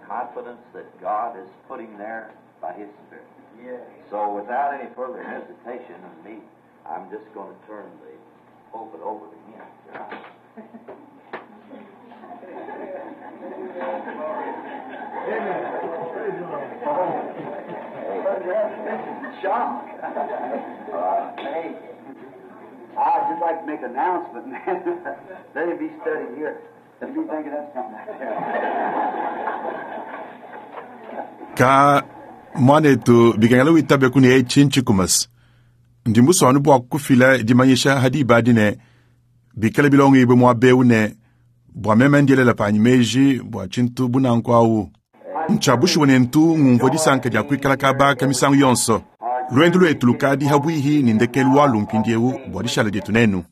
Confidence that God is putting there by His Spirit. So without any further hesitation of me, I'm just going to turn the pulpit over to him. Shock. Hey, I'd just like to make an announcement, man. Let it be studied here. Let me think of that something out there. Ka muanetu bikengela witabe ku ne etshi ntshikumasa ndi musua bua kufila dimanyisha ha diba adi ne bikale bilongibue muaba eu ne bua meme ndielela panyi meji bua tshintu bunanku awu ntshia bushuwa ne ntu ngumvua disanka dia kuikala kaba ka misangu yonso. Luendu luetu lukadi habuihi ne ndekelu walu mpindiewu bua dishala dietu nenu.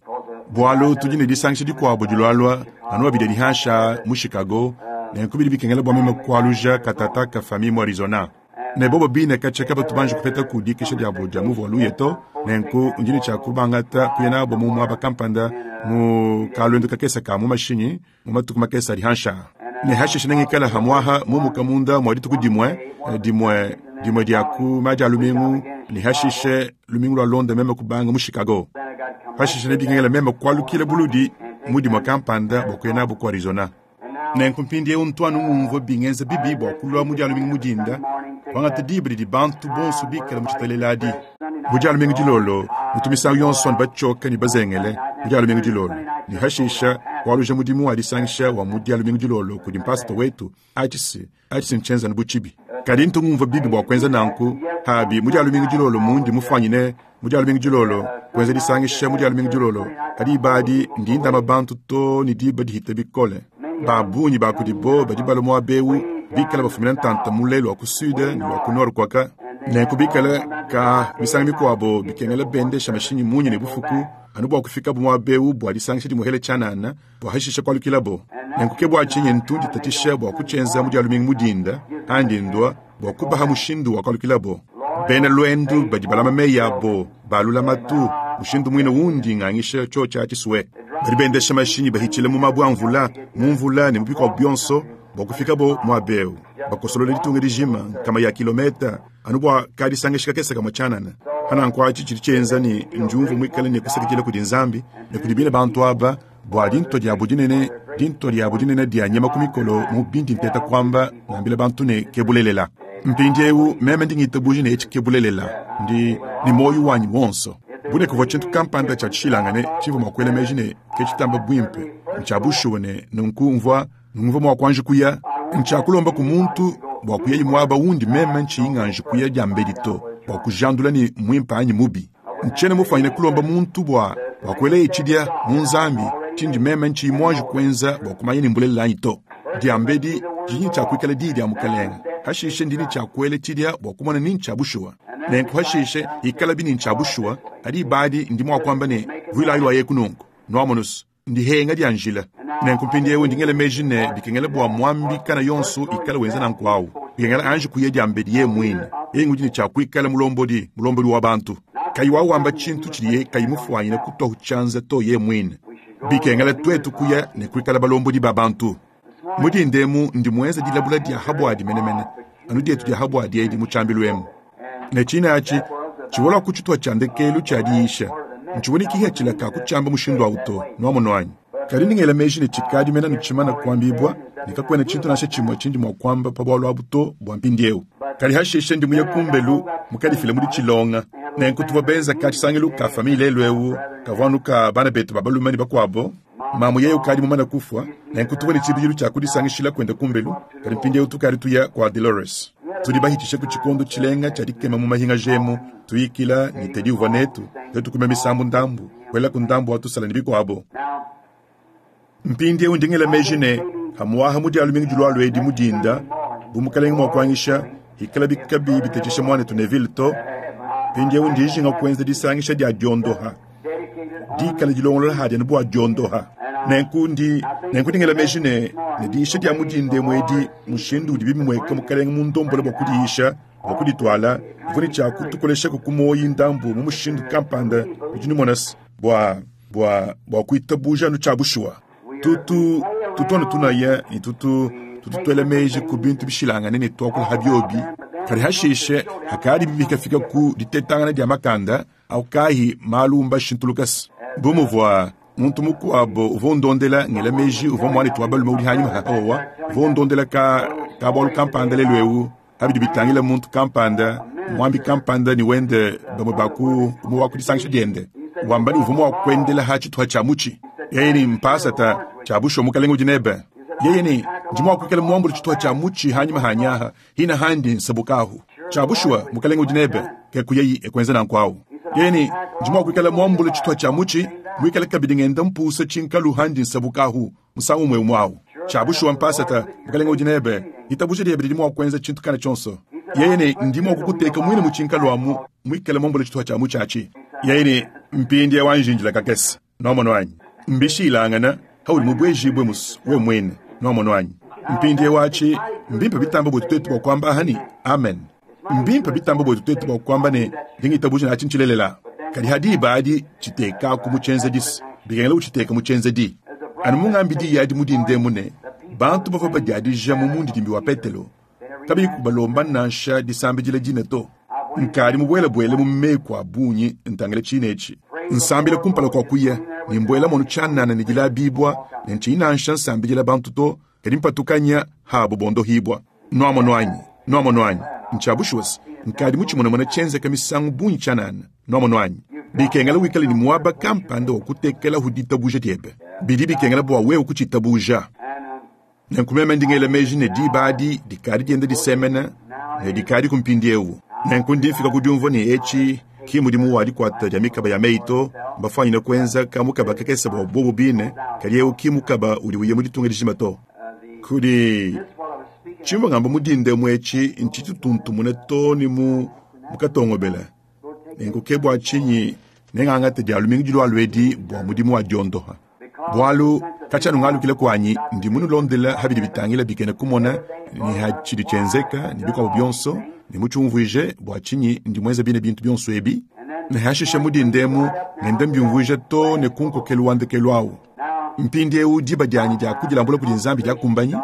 Bualu tudi ne disangisha dikuabo dilualua anu babidi dihansha mu Chicago nenku bidi bikengela bua meme kualuja katata ka famille mu Arizona. Ne bobo bine katshia batu banji kupeta ku dikisha diabo dia muvu wa luye to, nenku ndi ne tshia kubangata kuya nabo mu muaba kampanda mu kaluendu kakese ka mu mashinyi mu matuku makese adi hansha. Ne hashishe nengikala hamuaha mumuka munda mua dituku dimue dimue dimue dia ku madia a lumingu, ne hashishe lumingu lua londa meme kubanga mu Chicago. Hashishe nebikengela meme kualukila buludi mu dimue kampanda bua kuya nabo ku Arizona. Nenku mpindiewu ntu anu ngumvua bingenza bibi bua kulua mu dia lumingu mu dinda, kuangata diba didi bantu bonso bikala mu tshitalela adi. Mu dia lumingu dilolo, mutu misangu yonso anu batshioka ne bazengele mu dia lumingu dilolo. Ne hashisha kualuja mudimu wa disangisha wa mu dia lumingu dilolo kudi mpasita wetu, atshi atshi ntshienza anu bu tshibi. Kadi ntu ngumvua bibi bua kuenza nanku, habi mu dia lumingu dilolo mundi mufuanyine mu dia lumingu dilolo kuenza disangisha mu dia lumingu dilolo, kadi diba adi ndi ndama bantu to ne diba dihita bikole. Ba bungi ba kudibo badi balua muaba eu bikala bafumina ntanta mule lua ku sud ne lua ku nord kuaka. Nenku bikala ka misangu mikuabo bikengela bendesha mashinyi munya ne bufuku anu bua kufikabo muaba eu bua disangisha dimuhele tshianana bua hashisha kualukilabo. Nenku ke bua tshinyi ntu nditatshisha bua kutshienza mu dia lumingu mu dinda andi ndua bua kubaha mushindu wa kualukilabo. Bena luendu badi balama meyi abo ba lulamatu mushindu muine undi ngangisha tshiotshi tshisue. Badi bendesha mashinyi bahitshila mu mabue a mvula, mu mvula ne mu bikuabo bionso bua kufikabo muaba eu. Bakosolola ditunga dijima nkama ya kilometa anu bua kadisangisha kakese kamue tshianana. Hananku atshi tshidi tshienza ne ndiumvua muikale ne kusakidila kudi Nzambi ne kudi bine bantu aba bua dinto diabo dinene, dinto diabo dinene dia nyama ku mikolo mu bindi nteta kuamba ngambila bantu ne ke bulelela. Mpindiewu meme ndi ngitabuja ne etshi ke bulelela, ndi ne muoyo wanyi wonso. Bune kuvua tshintu kampanda tshia tshishilangane tshivua mua kuela meji ne ke tshitamba buimpe, ntshia bushuwa ne nunku mvua ngumvua mua kuanji kuya. Ntshia kulomba ku muntu bua kuyayi muaba undi meme ntshiyi nganji kuya diambedi to, bua kujandula ne muimpe anyi mubi. Ntshiena mufuanyine kulomba muntu bua bua kuelaye tshidia mu Nzambi tshindi meme ntshiyi muanji kuenza bua kumanya ne mbulelela anyi to. Diambedi didi ne tshia kuikala diyi dia Mukelenge, hashishe ndi ne tshia kuela tshidia bua kumona ni ntshia bushuwa. Nenku hashishe ikalabi ni ntshia bushuwa, hadi ibadi ndi mua kuamba ne vuilayi luayeku nunku. Nuamonusu, ndihenga dia njila. Nenku mpindiewu ndi ngela meji ne bikengela bua muambi kana yonso ikala wenza nanku awu. Bikengela anji kuya diambedi ye muine. Yeye ngudi ne tshia kuikala mulombodi, mulombodi wa bantu. Kayi wawamba tshintu tshidiye kayi mufuanyine kutua tshianza to ye muine. Bikengela tuetu kuya ne kuikala balombodi ba bantu. Mu dinda emu ndi muenza dilabula dia habuadi menemene, anu dietu dia habuadi edi mu tshiambilu emu. Ne tshine atshi tshivua ku tshituha tshia ndekelu tshia diyisha. Ntshivua ne kihatshila ka kutshiamba mushindu awu to, nuamono anyi. Kadi ndi ngela meji ne tshikadi mena ne tshimana kuambibua ne kakuena tshintu nansha tshimue tshindi mua kuamba pa bualu abu to bua mpindiewu. Kadi hashishe ndi muye kumbelu mukadifile mu ditshilonga. Nenku tuvua benza ka tshisangilu ka famille lelu eu kavua anu ka bana betu ba balume ne bakuabo. Mamu yeye ukadi mumane kufua, nenku tuvua ne tshibidilu tshia kudisangishila kuenda kumbelu, kadi mpindiewu tukadi tuya kua Dolores. Tudi bahitshishe ku tshikondo tshilenga tshia dikema mu mahinga jemu, tuyikila ne Teddy uvua netu, tuetu kuimba misambu ndambu, kuela ku ndambu wa tusala ne bikuabo. Mpindiewu ndi ngela meji ne hamuaha mu dia lumingu dilualua edi mu dinda, bu mukelenge mua kuanyisha, ikala bikabi bitetesha muanetu Neville to. Mpindiewu ndi njinga kuenza disangisha dia diondoha. Dikala dilongolola hadi anu bua diondoha. Nenku ndi nenku ndi ngela meji ne ne diyisha dia mu dinda emu edi mushindu udi bimueka mukelenge mundombole bua kudiyisha, bua kudituala, bivua ne tshia kutukoleshaku ku muoyi ndambu mu mushindu kampanda udi numona se bua bua bua kuitabuja anu tshia bushuwa. Tutu tutu anu tunaya ne tutu Tutu tuela meji ku bintu bishilangane ne tuakula ha biobi. Kadi hashishe hakadi bikafika ku ditetangana dia makanda au kahi malu mbashintulukase. Bu muvua muntu mukuabo uvua undondela ngela meji uvua muanetu wa balume udi hanyima haowa uvua undondela ka kabualu kampanda lelu eu abidi bitangila muntu kampanda mwambi kampanda ni wende bamwe baku umwe wa kudisangisha diende wamba ni uvua mua kuendela ha tshituha tshia mutshi yeye ni mpasata tshia busho mukalenga udi nebe yeye ni ndi mua kuikala muambule tshituha tshia mutshi hanyima hanyaha hina handi nsabukahu tshia bushuwa mukalenga udi nebe ke kuyeyi ekwenza nanku yeye ni ndi mua kuikala muambule tshituha tshia mutshi muikale kabidi ngenda mpusa tshinkalu handi nsabukahu musangu umwe umwawu tshia bushuwa mpasata mukalenga udi nebe itabusha diebe didi mua kuenza tshintu kana tshionso yeye ne ndi mua kukuteka mwine mu tshinkalu amu muikale muambule tshituha tshia mutshi atshi yeye ne mpindi wanjinjila kakese nomono wanyi mbishilangana hauli mubwejibwe musu we mwene nomono wanyi mpindi wachi mbimpe bitamba bwetu twetu bwa kwamba hani amen mbimpe bitamba bwetu twetu bwa kwamba ne ndingitabuja nachi nchilelela kadi hadi ibadi chitekaku muchenzedisi bikengela uchiteka muchenzedi anu mung'ambidi yadi mudinde mune bantu bavua badiadija mu mundidimbi wa petelo kabiyi kubalomba nansha disambidila dine to nkadi mubwelebwele mu meku a bungi ntangila tshine etshi nsambila kumpala kua kuya ne mbuela mono tshianana ne dilabibua ne ntshinyi nansha nsambidila bantu to kadi mpatukanya habo bondohibwa nuamono anyi nuamono anyi ntshiabushuwasi nkadi mutshimonamona tshienzeka misangu bungi tshianana nuamono anyi bikengela wikale ni muaba kampanda wa kutekela huditabuja diebe bidi bikengela bua wewe kutshitabuja nenku meme ndingela meji ne diba adi dikadi dienda disemena ne dikadi kumpindi ewu nenku ndi mfika kudiumvua ne etshi ki mudimu wa dikwata dia mikaba ya meyi to mbafwanyine kuenza ka mukaba kakese bua bobo bine kadi ewu ki mukaba udi uye mu ditunga dijima to kudi tshimvua ngamba mudinde mu etshi ntshitutuntumune to ni mu mukatongobela nenku ke bua tshinyi nengangate dia lumingu dilualu edi bua mudimu wa diondoha bualu katshianu ngalukile kuanyi ndi munulondela habidi bitangila bikene kumona ni ha tshidi tshienzeka ni bikuabo bionso ne mutshiumvuije bua tshinyi ndi muenze bine bintu bionso ebi ne hashishe mudindemu ngende mbiumvuije to ne kunkokelu wa ndekelu awu mpindi ewu diba dianyi dia kudilambula kudi nzambi diakumbanyi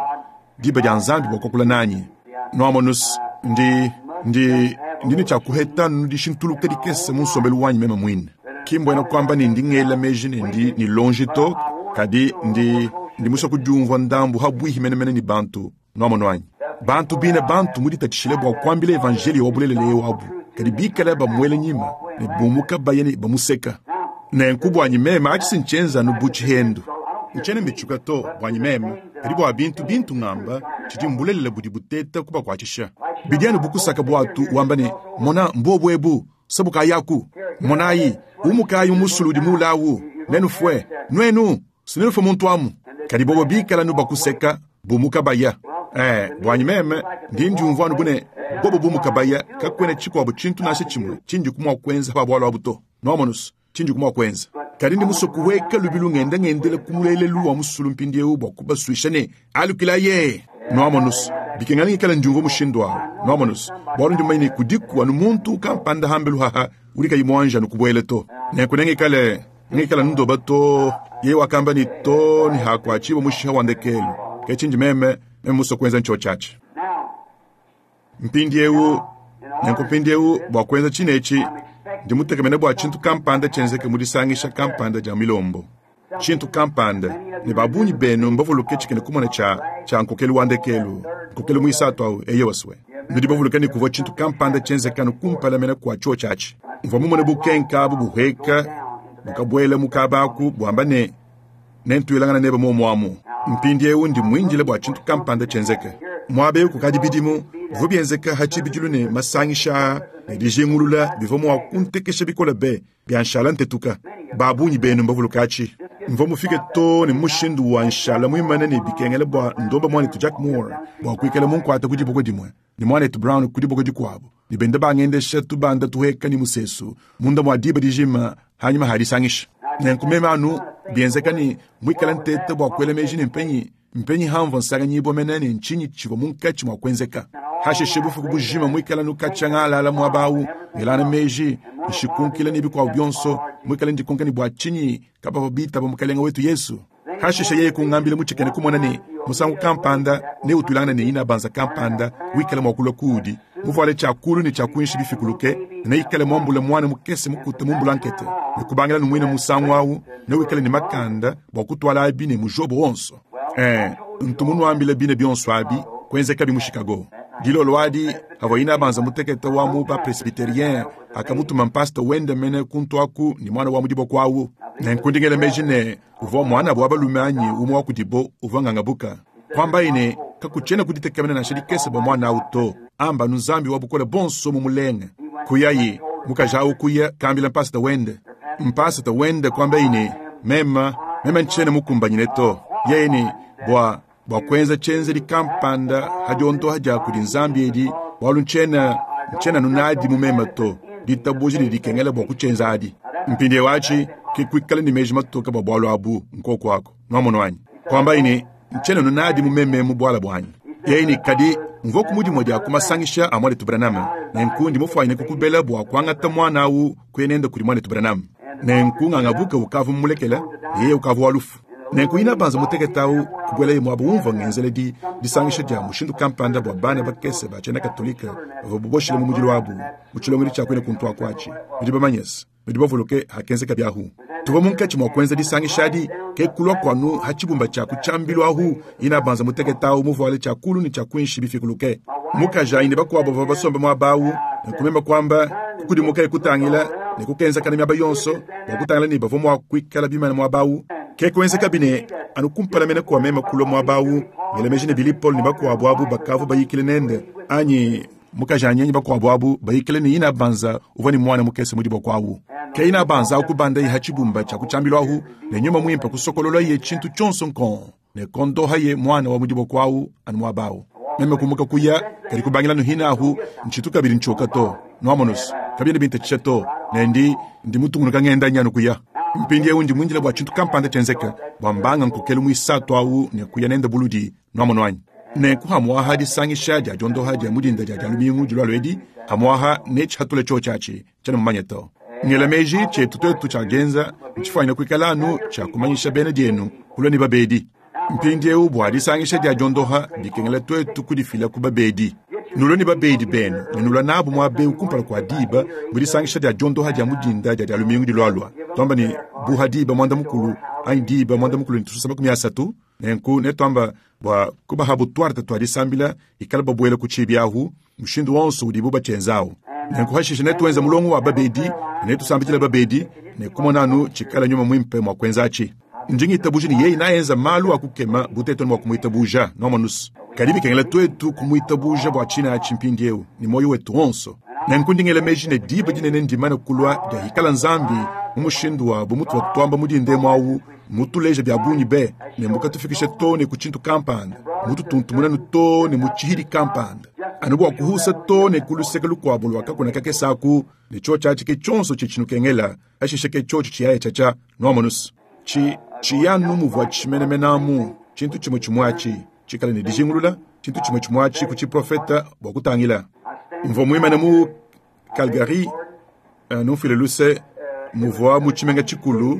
diba dia nzambi bua kuakula nanyi nuamonus ndi ndi ndine tshiakuheta nudishintuluka dikese mu nsombelu wanyi meme mwine kimbwena kuamba ne ndi ngela meji ne ndi ni lonji to kadi ndi ndi musua kudiumvua ndambu habwihi menemene ni bantu nuamono anyi bantu bine bantu muditatshishile bua kuambila evanjelio wa bulelela ewu abu kadi bikale bamuele nyima ne bumuka baye ne bamuseka nenku buanyi meme atshi sintshienza nu bu tshihendu ntshiena mbitshuka to buanyi meme kadi bua bintu bintu ngamba tshidi mbulelela budi buteta kubakuatshisha bidi anu bukusaka buatu wamba ne mona mbobu ebu sabukayaku monayi umukayi umusulu udi mulawu nenufue nuenu sinenufue muntu amu kadi bobo bikala nu bakuseka bumuka baya buanyi meme ndi ndiumvua anu bune bobo bumuka baya kakuena tshikuabo tshintu nansha tshimue tshindi kumua kuenza pa bualu abu to nuamonusu tshindi kumua kuenza kadi ndi musue kuweka lubilu ngenda ngendela ku mulelelu wa musulu mpindiewu bua kubasuisha ne alukilaye nuamonusu bikengela ngikala ndiumvua mushindu awu nuamonusu bualu ndi mumanye ne kudiku anu muntu kampanda hambelu haha udi kayi muanji anu kubuela to nenku nengikale ngikala ndoba to ye wakamba ni to ni hakuachiwa mushiha wa ndekelu ke tshindi meme meme musue kuenza ntsho tshiatshi mpindiewu nenku mpindiewu bua kuenza tshine etshi ndi mutekemene bua tshintu kampanda tshienzeke mu disangisha kampanda dia milombo tshintu kampanda ne babunyi benu mbavuluke tshikene kumona tshia tshia nkokelu wa ndekelu nkokelu muisatu awu eye wasue nudi bavuluke ne kuvua tshintu kampanda tshienzekanu kumpala mene kua tshio tshiatshi mvua mumone bukenka abu buheka bukabuela mukabaku buamba ne nentuilangana nebe momuamu mpindi ewu ndi muindile bua tshintu kampanda tshienzeke muaba ewu kukadi bidimu bivua bienzeka ha tshibidilu ne masangisha ne dijingulula bivua mua kuntekesha bikole be bia nshala ntetuka babunyi benu mbavuluka atshi mvua mufike to ne mushindu wa nshala muimane ne bikengela bua ndomba muanetu Jack Moore bua kuikala munkuata ku diboko dimue ne muanetu Brown ku diboko dikuabu ne benda bangendesha tubanda tuheka ni musesu munda mua diba dijima hanyima hadisangisha nenku meme anu bienzeka ni muikala ntete bua kuela meji ne mpenyi mpenyi hamvua nsanganyibua mene ne ntshinyi tshivua munkatshi mua kuenzeka hashishe bufuku bujima muikala nukatshia ngalala muaba awu ngelana meji nshikunkila ne bikuabu bionso muikala ndikonka ne bua tshinyi kabavua bitaba mukalenga wetu Yesu hashishe yeye kungambila mutshikene kumona ne Musangu kampanda neutwilangane ne inabanza kampanda wikale mwa kulwa kuudi, muvuale tshia kulu ne tshia kuinshi bifikuluke, ne neikale mwambule mwana mukese mukute mu mbulankete. Ne kubangila numwine musangu awu, newikale ne makanda bua kutwala abi ne mujobo wonso. Ntu munuambile bine bionso abi, kwenzekabi mu Chicago. Dilolo adi, havua inabanza mutekete wa mu ba-presbyterien, akamutuma mpasta wende mene kuntu aku ne mwana wa mu diboko awu. Nenku ndi ngela meji ne, uvua mwana wa balume anyi umwe wa kudibo uvua ngangabuka. Kwambaye ne, kakutshiena kuditekemena nansha dikese bua mwana awu to, amba anu Nzambi wa bukole bonso mu mulenge. Kuyayi, mukaji awu kuya kambila mpasta wende. Mpasta wende kwambaye ne, mema, mema ntshiena mukumbanyine to. Yeye ne, bua, bua kuenza tshenzedi kampanda hadiondoha dia kudi Nzambi edi, bualu ntshiena, ntshiena nunadi mu mema to. Ditabuja ne dikengela bua kutshienza adi. Mpindieu atshi, ke kuikala ne meji matoka bua bualu abu nkoko ako. Nwamono anyi? Kwambaye ne, ntshiena nunadi mu meme mu buala buanyi. Yeye ne, kadi, mvua ku mudimu dia kumasangisha a mwanetu Branham. Nenku ndi mufuanyine kukubela bua kuangata mwana awu kuya nende kudi mwanetu Branham. Nenku ngangabuka ukavua mumulekela, yeye ukavua wa lufu. Nenku inabanza mutekete awu kubuelaye muaba umvua ngenzela di disangisha dia mushindu kampanda bua bana bakese ba tshiena Katolika bavua boboshile mu mudilu wabu mu tshilongelu tshia kuina kuntu akuatshi. Nudi bamanyese, nudi bavuluke hakenzeka biahu. Tuvua munkatshi mua kuenza disangisha adi, ke kulua kuanu ha tshibumba tshia ku tshiambilu ahu, inabanza mutekete awu muvuale tshia kulu ne tshia kuinshi bifikuluke. Mukaji ayi ne bakuabo bavua basombe muaba awu, ne kumema kwamba kukudimuka kutangila ne kukenzakana miaba yonso bua kutangila ne bavua mua kuikala bimana muaba awu. Ke kuenzeka bine anu kumpala mene kua mema kulua muaba awu, ngela meji ne Billy Paul ne bakuabo abu bakavua bayikile nende, anyi mukaji anyi bakuabo abu bayikile ne inabanza uvua ne mwana mukese mu diboko awu. Ke inabanza awu kubanda ha tshibumba tshia ku tshiambilu ahu, ne nyuma muimpe kusokolola ye tshintu tshionso nkon, ne kondoha ye mwana wa mu diboko awu anu muaba awu. Meme kumuka kuya, kadi kubangila nuhina ahu, ntshitu kabidi ntshoka to. Nwamonusu, kabidi bintatshisha to, ne ndi, ndi mutungunuka ngenda nyanu kuya. Mpindieu ndi mwindila bua tshintu kampanda tshienzeka, bua mbanga nkokelu muisatu awu ne kuya nende buludi, nwamono anyi. Nenku hamuaha disangisha dia diondoha dia mudinda dia dia lumingu dilua edi, hamuaha ne tshihatula tshio tshiatshi, tshiena mumanye to. Ngela meji tshietu twetu tshia genza, ntshifuanyine kuikala anu tshia kumanyisha bena dienu, kulua ne babedi. Mpindieu bua disangisha dia diondoha dikengela twetu kudifila ku babedi. Nulua ne babedi benu, ne nulua nabu muaba eu kumpala kua diba mu disangisha dia diondoha dia mudinda dia dia lumingu dilualua. Tuamba ne buha diba mwanda mukulu anyi diba mwanda mukulu ne tususa makumi asatu, nenku ne tuamba bua kubahabu tuarte tua disambila ikala babuela ku tshibi ahu, mushindu wonso udibu batshienzawu. Nenku hashishe ne tuenza mulongo wa babedi, ne tusambidila babedi, ne kumona anu tshikala nyuma muimpe mua kuenza atshi. Ndi ngitabuja ne yeye naenza malu a kukema butetu mua kumuitabuja, nwamonusu. Kadi bikengela twetu kumuitabuja bua tshina atshi mpindieu ne moyo wetu wonso. Nenku ndi ngela meji ne diba dinene ndimane kulua dia hikala Nzambi mu mushindu wa bumutu wa tuamba mudindemu awu, mutuleja bia bungi be, ne mukatufikisha to ne ku tshintu kampanda, mututuntumuna to ne mu tshihidi kampanda. Anu bua kuhusa to ne ku luseke lukuabo lua kakuna kakese aku, ne tshio tshiatshi ke tshionso tshitshinukengela, hashishe ke tshio tshitshiyaye tshiatsha, nwamonusu. Tshi, tshiyanu muvua tshimenemenamu, tshintu tshimue tshimue atshi, tshikale ne dijingulula, tshintu tshimue tshimue atshi ku tshiprofeta bua kutangila. Mvua muimane mu Calgary, numfile luse, muvua mu tshimenga tshikulu,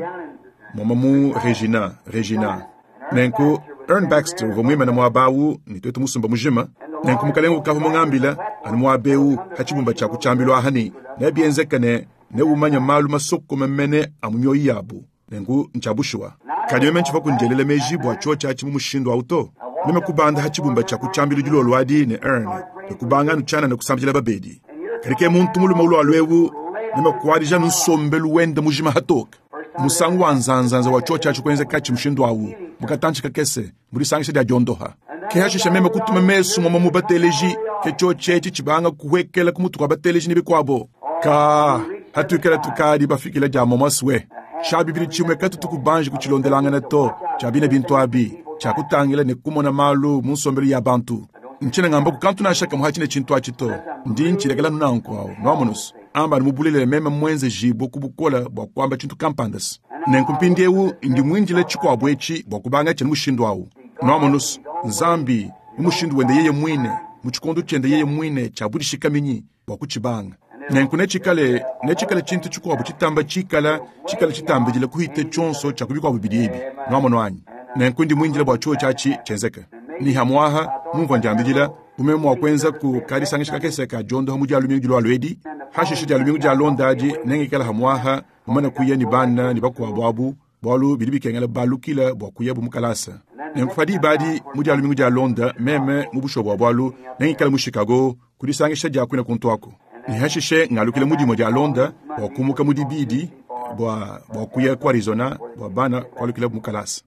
moma mu Regina, Regina. Nenku Ern Baxter uvua muimane muaba awu ne twetu musumba mujima. Nenku mukalenge ukavua mungambila anu muaba eu ha tshibumba tshia ku tshiambilu aha ne, nebienzeke ne neumanye malu masokome mene a mu mioyo yabu. Nenku ntshia bushuwa. Kadi meme ntshivua kundielela meji bua tshio tshiatshi mu mushindu awu to. Meme kubanda ha tshibumba tshia ku tshiambilu dilolo adi ne Ern, ne kubanga anu tshianana kusambila babedi. Kadi ke muntu mulume ulua eu, meme kuadija anu nsombelu wende mujima hatoka. Musangu wa nzanzanza wa tshio tshiatshi kuenza katshi mushindu awu, mukatantshi kakese, mu disangisha dia diondoha. Ke hashisha meme kutuma mesu moma mu bateleji, ke tshio tshietshi tshibanga kuhwekela ku mutu kwa bateleji ne bikuabo. Ka, hatuikala tukadi bafikila dia moma swe. Tshia bibidi tshimue katutu kubanji kutshilondelangana to, tshia bine bintu abi, tshia kutangila ne kumona malu mu nsombelu ya bantu. Ntshiena ngamba ku kantu nansha kamue hatshine tshintu atshi to. Ndi ntshilekela nanku awu, nwamonusu. Amba anu mubulelele meme mwenze jibo ku bukola bua kuamba tshintu kampanda se. Nenku mpindieu ndi mwindile tshikuabu etshi bua kubanga tshiena mushindu awu. Nwamonusu, Nzambi mu mushindu wende yeye mwine, mu tshikondo tshiende yeye mwine tshia budishikaminyi bua kutshibanga. Nenku netshikale, netshikale tshintu tshikuabu tshitamba tshikala, tshikale tshitambidila kuhita tshionso tshia ku bikuabu bidi ebi. Nwamono anyi? Nenku ndi mwindile bua tshio tshiatshi tshienzeke. Ni hamwaha mumvua ndiambidila bume mwa kuenza ku kadisangisha kakese ka diondoha mu dia lumingu dilua luedi hashishe dia lumingu dia londa adi nengikala hamwaha mumana kuya ni bana ni bakuabu abu bualu bidi bikengela balukila bua kuya bu mukalasa. Nenku dibadi mu dia lumingu dia londa meme mu busho bua bualu nengikala mu Chicago kudisangisha dia kuina kuntu ako. Ni hashishe ngalukila mu dimue dia londa bua kumuka mu dibidi bua kuya ku Arizona bua bana kualukila bu mukalasa.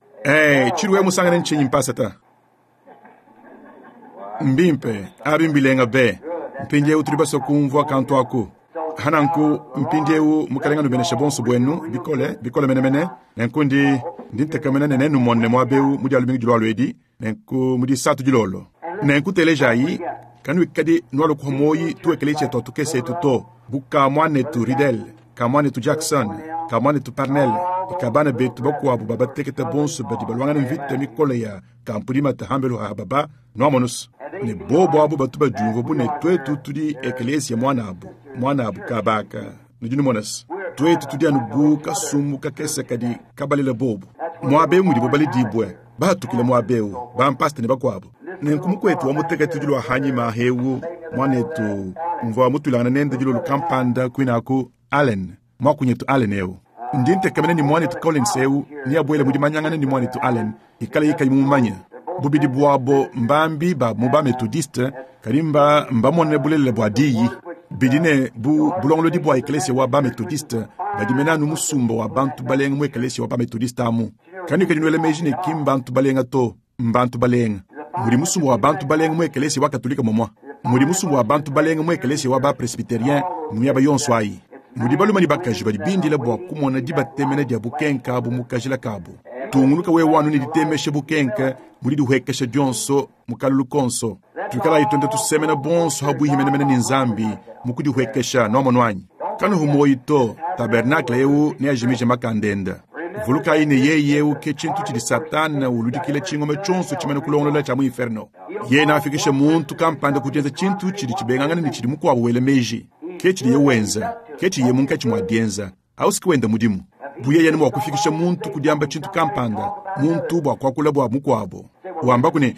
Chiruwe musangane nchinyi mpasa ta. Mbimpe abi mbilenga be mpindiewu tuli baso kumvua kantu aku. Hananku mpindiewu mukalenga nubenesha bonso bwenu bikole bikole menemene nenku ndi ntekamena ne nenumonne muabewu mu dia lumingu dilua luedi nenku mu disatu dilolo. Nenku telejayi kanuikadi nualukuha moyi tuekele tshietu atukese etu to buka mwanetu Riddle ka mwanetu Jackson ka mwanetu Parnell ka bana betu bakuabu babateketa bonso badi balwangana mvita mikole ya kampudimata hambelu ha baba nuamonusu. Ne bobo abu batu badiumvua bu ne twetu tudi ekelesia mwana abu kabaka nudi numonasi. Twetu tudi anu bu kasumbu kakese kadi kabalela bobo muabewu mudibo balidibwe bahatukile muabewu bampasta ne bakuabu. Nenku mukwetu wa mutekete dilua hanyima hewu mwanetu mvua mutulangana nende dilolo kampanda kwinaku Allen mwakunyetu Allen ewu. Ndi ntekamene ni mwanetu Collins ewu ni abuele mudi manyangana ni mwanetu Allen ikala yikayi mumumanya. Bubidi bwabo mbambi ba mu ba methodiste kadi mba mbamone bulelela bua diyi. Bidi ne bu bulongolodi bua ekelesia wa ba methodiste badi mena anu musumba wa bantu balenga mu ekelesia wa ba methodiste amu. Kanu kadi nuele meji ne ki mbantu balenga to mbantu balenga. Mudi musumba wa bantu balenga mu ekelesia wa katolika momwa. Mudi musumba wa bantu balenga mu ekelesia wa ba presbyterien mu miaba yonso ayi. Mudi baluma ni bakaji badi bindila bua kumona dibatemena dia bukenka abu mukajila kabu. Tungunuka wewe wanu ni ditemeshe bukenka mudi dihwekesha dionso mukalulu konso. Tukala itonde tusemena bonso habuhi menemene ni nzambi mukudihwekesha nomonwanyi. Kanu humoyi to tabernacle eu ne ajimije makandenda. Vuluka ine yeye eu ke chintu chidi satana uludikile chingome chonso chimene kulongolola cha mu inferno. Ye na afikishe muntu kampanda kujenza chintu chidi chibengangana ni chidi mukwabu wele meji. Ke chidi ye wenza, ke chidi ye munkachi mwa dienza. Ausiki wenda mudimu. Buye yene mwa kufikisha muntu kudiamba chintu kampanda, muntu bwa kwakula bwa mukwabo. Wamba kune,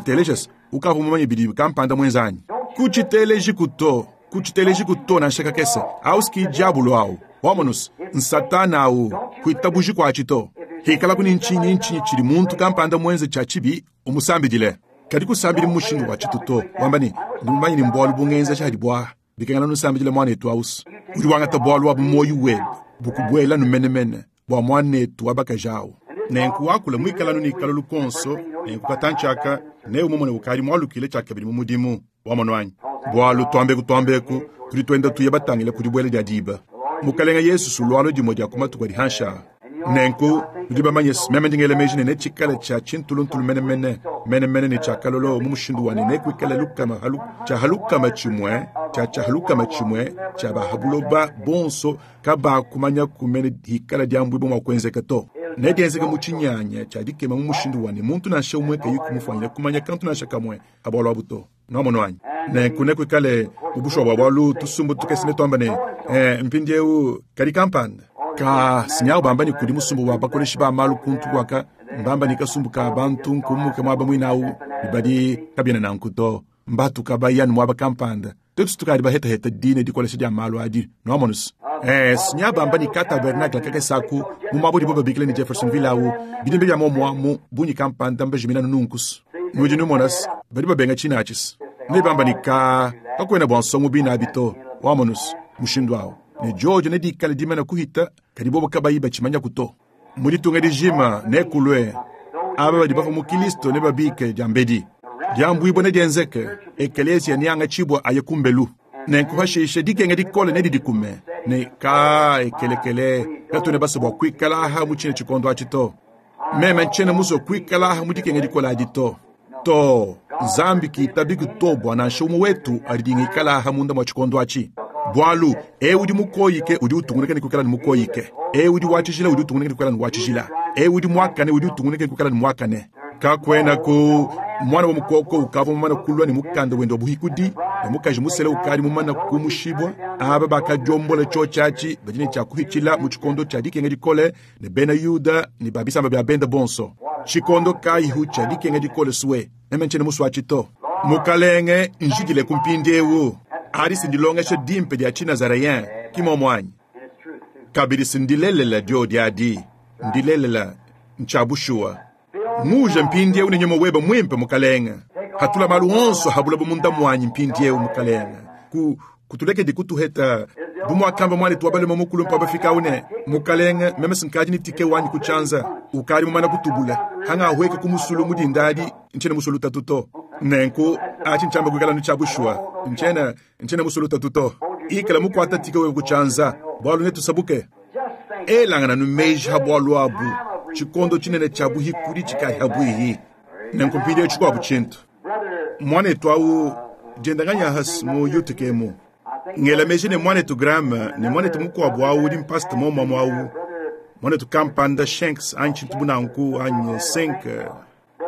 telejas, ukavu mumanye bidi kampanda mwenzanyi. Kuchiteleji kuto na nshaka kese. Ausiki diabolo au. Wamonus, nsatana au, kuitabuji kwa chito. Hikala kuni nchinyi nchinyi chiri muntu kampanda mwenze cha chibi, umusambidile. Kadi kusambili mushindu wa chituto, wamba ni, numanye ni mbwalu bungenza cha hadibwa. Bikengana nusambidile mwanetu aus. Udi wangata bwalu wa moyo webe. Bukubwela numenemene bwa mwanetu wabakajao. Nenku wakula mwikala nuni kalulu konso, nenku katanchaka, ne umumone ukali mwalukile chakabili mu mudimu wa monwanyi. Bwalu twambeku twambeku, tudi twenda tuye batangile kudibwela dia diba. Mukalenga Yesu sulwalo dimwe dia kumatuku adi hansha. Nenku tudi bamanye meme ndingele meji ne chikala cha chintuluntulu menemene menemene ne cha kalolo mu mushindu wa ne kwikala lukama halu cha halukama chimwe cha cha halukama chimwe cha bahabuloba bonso kaba kumanya kumene hikala diambwibo mwa kwenzeka to. Ne dienzeka mu chinyanya cha dikema mu mushindu wa ne muntu nansha umwe kayi kumufanyira kumanya kantu nansha kamwe abwalo abuto. Nomonwanyi. Nenku ne kwikale ubushwa bwa bwalu tusumbu tukesine twamba ne mpindiewu kadi kampanda. Ka sinyawo bamba ni kudi musumbu wa bakoleshi ba malu kuntu kwaka mbamba ni kasumbu ka bantu nkumuke mwaba mwinawu badi kabyena nanku to mbatu kabayanu mwaba kampanda tetu tukadi bahetaheta dine dikolesha dia malu adi nomonus. Sinya bamba ni ka tabernacle kake saku mu mabudi bo babikile ni Jeffersonville awu bidimbe bya momwa mu bunyi kampanda mbejimina nunkus. Nudi numonas badi babenga chinachis. Ne bamba ni ka kakwena bwa nsongo bina abito wamonus mushindu awu. Ne George ne dikala dimana kuhita kadi bobo kabayi bachimanya kuto. Muditunga dijima ne kulwe aba badi bafa mu Kristo ne babike diambedi. Diambwibo ne dienzeke ekelesia nianga chibwa aye kumbelu. Nenku hashishe dikenga dikole ne didikume ne ka ekelekele katune basa bwa kwikala aha mu chine chikondo achito. Meme nchene muso kwikala aha mu dikenga dikole adito. To Nzambi kitabi kutobwa na nshumu wetu alidingikala aha munda mwa chikondo achi. Bwalu, e udi mukoyike udi utungunike ni kukala ni mukoyike. E udi wachijila udi utungunike ni kukala ni wachijila. E udi mwakane udi utungunike ni kukala ni mwakane. Kakwena ku mwana wa mukoko ukava mwana kulwa ni mukanda wendo buhikudi. Ne mukaji musela ukadi mumana kumushibwa, aba bakadiombola tshiotshi badi ne tshia kuhitshila mu tshikondo tshia dikenga dikole ne bena Yuda ne ba bisamba bia benda bonso. Tshikondo kayihu tshia dikenga dikole suwe, meme ntshiena musue to. Mukalenge njidile ku mpindiewu. Adi sindilongesha dimpe dia Tshinazareyen ki momwanyi. Kabidi sindilelela dio diadi, ndilelela ntshia bushuwa. Nguja mpindiewu ne nyuma weba mwimpe mukalenge. Hatula malu onso habula munda mwanyi mpindiewu mukalenge. Ku kutulekedi kutuheta bumwakamba mwana twabalema mukulu mpa bafika une mukalenge meme sinkadi ni tike wanyi kuchanza ukali mumana kutubula hanga ahweke kumusulu mudindadi nchena musulu tatuto nenku achi nchamba kuikala ni chabushwa nchena nchena musulu tatuto ikala mukwata tike wewe kuchanza bwalu netu sabuke elangana numeji habwalu abu chikondo chinene chabuhikuri chikahabwihi nenku mpindi chikwabu chintu mwanetu awu jendanganya has mu yutikemu ngela meji ne mwanetu Graham ne mwanetu mukuabu awu udi mpasta momwamu awu mwanetu kampanda Shanks anyi tshintu bunanku anyi Sink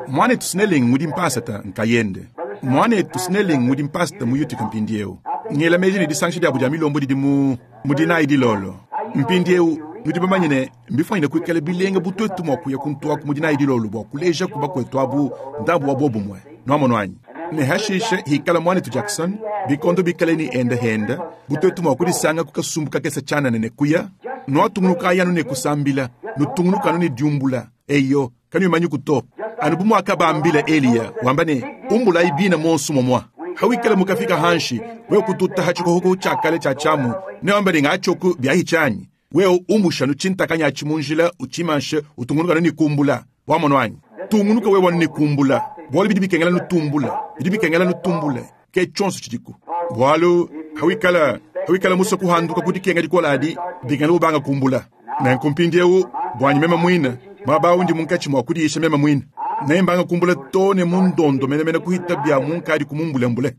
mwanetu Snelling udi mpasata nkayende mwanetu Snelling udi mpasta mu Utica mpindiewu ngela meji ne disangisha diabu dia milombo didi mu mudinayi dilolo mpindiewu nudi bamanye ne mbifanyine kuikala bilenge butuetu mua kuya kuntuaku mudinayi dilolo bua kuleja ku bakwetu abu ndambu wa bobumwe nuamono anyi ne hashishe hikala mwanetu Jackson bikondo bikale ni enda henda butuetu mua kudisanga kukasumbu kakesa tshanana ne kuya nuatungunuka ayanu ne kusambila nutungunuka anu ne diumbula eyo kanuimanyi kuto anu bumwaka bambila Eliya wamba ne umbulayi bina monsu momwa hawikala mukafika hanshi wewe kututa hachikohoko chakale cha chamu ne wamba ne ngachoku byahi chanyi wewe umusha nuchintakanya chimunjila uchimanshe utungunuka ni kumbula wamono anyi tungunuka wewe wanu ni kumbula bwalu bidi bikengela nutumbula bidi bikengela nutumbule ke tshonso tshidiku bwalu hawikala hawikala musa kuhanduka kudikenga dikola adi bikengela ubanga kumbula nenku mpindiewu bwanyi meme mwina mwaba undi munkatshi mwa kudiyisha meme mwina nembanga kumbula to ne mundondo menemene kuhita bya munkadi kumumbulembule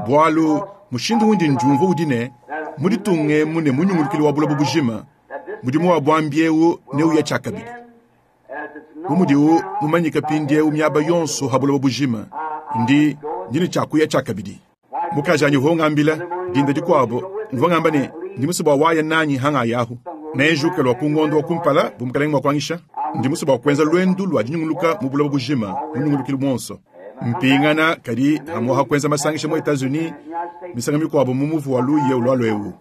bwalu mushindu undi njumva udi ne muditunge mune munyungulukili wa buloba bujima mudimu wa bwambiewu neuya tshakabidi bumudiwu mumanyika pindiewu miaba yonso ha buloba bujima ndi ndine tshakuya tshakabidi mukajanyi hongambila dinda dikuabo mvua ngamba ne ndi musu bua waya nanyi hanga yahu nenjuke lua kungondo wa kumpala bumukalenge mua kuangisha ndi musu bua kuenza lwendu lua dinyunguluka mu buloba bujima munyungulukili monso mpingana kadi hamuha kuenza masangisha mu Etats-Unis misanga mikuabo mu muvu wa luye ulwalwewu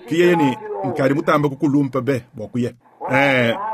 kiyeye ni nkadi mutamba kukulumpa be bua kuya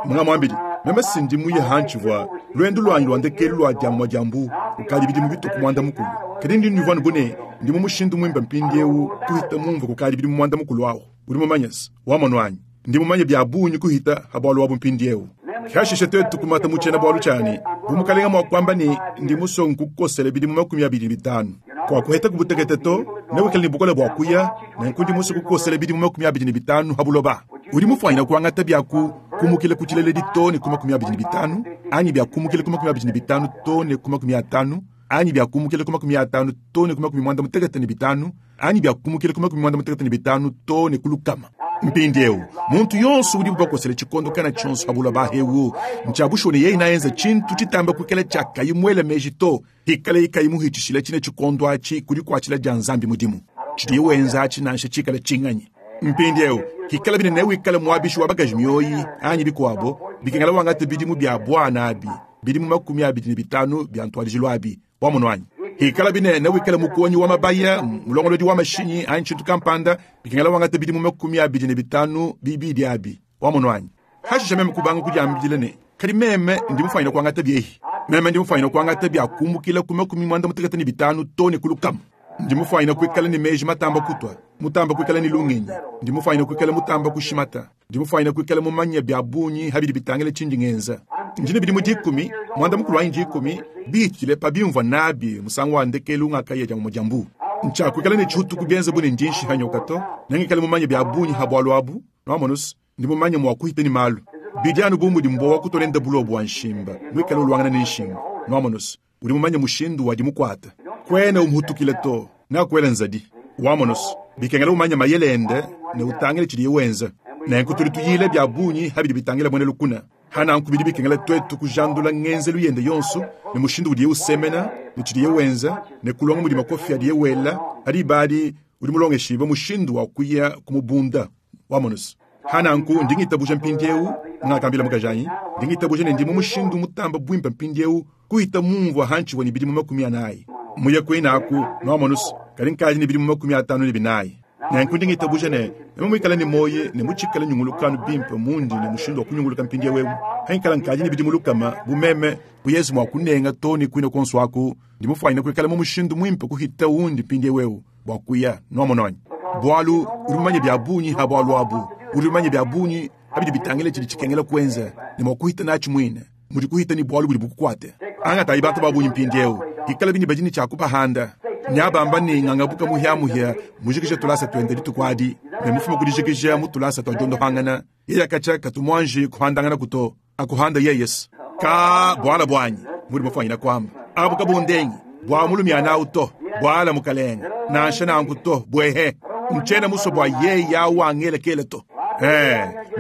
munga mwambili meme sindi muye hanchivwa lwendu lwanyi lwa ndekelu lwa diamwa diambu ukadi bidi mubituku mwanda mukulu kadi ndi nivwanu bune ndi mu mushindu mwimba mpindiewu kuhita mumva kukadi bidi mwanda mukulu awu udi mumanyasi wamono anyi ndi mumanye bya bunyi kuhita habwalu wabu mpindiewu kashishe tetu kumata muchena bwalu chani bumukalenga mwa kwamba ni ndi musongu kukosele bidi mu 25 kwa kuheta kubutekete to newikele ni bukole bwa kuya nenku ndi musu kukosele bidi mu 25 habuloba udi mufwanyina kuangata byaku kumukile kuchilele dito ne ku 25 anyi bya kumukile ku 25 to ne ku 50 anyi bya kumukile ku 50 to ne ku 95 anyi bya kumukile ku 95 to ne kulukama mpindiewu muntu yonso udi bubakosele tshikondo kana tshionso habuloba hewu ntshiabushone yeyi nayenza tshintu tshitamba kuikala tshiakayi muele meji to hikale ikayi muhitshishile tshine tshikondo atshi kudi kuatshila dia nzambi mudimu tshidiye wenza atshi nansha tshikale tshinganyi mpindiewu hikala bine newikale muabishi wa bakaji mioyi anyi bikuabo bikengela wangata bidimu bya bwana abi bidimu 25 bya ntwalijilu abi wamono anyi hikala bine newikale mukonyi wa mabaya mulongolodi wa mashinyi anyi tshintu kampanda bikengela wangata bidimu 25 bibidi abi wamono anyi hashisha meme kubanga kudiambidile ne kadi meme ndi mufanyina kuangata byehi meme ndi mufanyina kuangata bya kumbukila ku 95 to ne kulukama ndi mufanyina kuikala ne meji matamba kutwa mutamba kuikala ne lungenyi ndi mufanyina kuikala mutamba kushimata ndi mufanyina kuikala mumanya bya bunyi habidi bitangile tshindi ngenza ndine bidi mu dikumi mwanda mukulu wanyi dikumi bitile pa bimvua nabi musangu wa ndekelu ngakaya dia mujambu ntshakuikala ne tshihutuku bienza bune ndinshi hanyoka to nengikale mumanya bya bunyi habwalu abu nwamonus ndi mumanya mua kuhita ni malu bidi anu bu mudi mbowa kutolenda bulobo bwa nshimba mwikale ulwangana ne nshimba nwamonus udi mumanya mushindu wadi mukwata kwene umuhutukile to nakwela nzadi wamonos bikengela umanya mayelende ne utangile tshidiye wenza nenku tudi tuyile bya bunyi habidi bitangile mwene lukuna Hananku bidi bikengela twetu kujandula ngenzelu yende yonso ne mushindu udiye usemena ne tshidiye wenza ne kulonga mudi makofi adiye wela adi badi udi mulongeshibwe mushindu wa kuya kumubunda wamonusu. Hananku ndingitabuja mpindiewu ngakambila mukajanyi ndingitabuja ne ndi mu mushindu mutamba bwimpe mpindiewu kuhita mumvua hanchiwa ni bidimu 40 muye kwinaku nwamonusu kali nkaji ni bidimu 54. Nanku ndingitabuja ne nemwe ni moye ne muchikala nyungulukanu bimpe mundi ne mushindu wa kunyunguluka mpindiewu ewu hankala nkaji ni bidimu lukama bumeme buyezi mwa kunenga toni kwina konso aku ndimufwanyina kuikala mu mushindu mwimpe kuhita wundi mpindiewu ewu bwa kuya nwamononyi bwalu uri mumanye bya bunyi ha bwalu abu uri mumanye bya bunyi habidi bitangile chili chikengela kwenza ne mwa kuhita nachi mwine muri kuhita ni bwalu buli bukukwate anga tayi bantu babunyi mpindiewu ikala bini bajini chakubahanda nyabamba ni ngangabuka muhyamuhya mujikisha tulasa twende litukwadi ne mufuma kudijikisha mutulasa twa jondo hangana yeya kacha katumwanji kuhandangana kuto akuhanda yeyes ka bwala bwanyi muri mufanyina kwamba abu kabundengi bwa mulumyana uto bwala mukalenga nansha nankuto bwehe mchena muso bwa yeya wangelekele to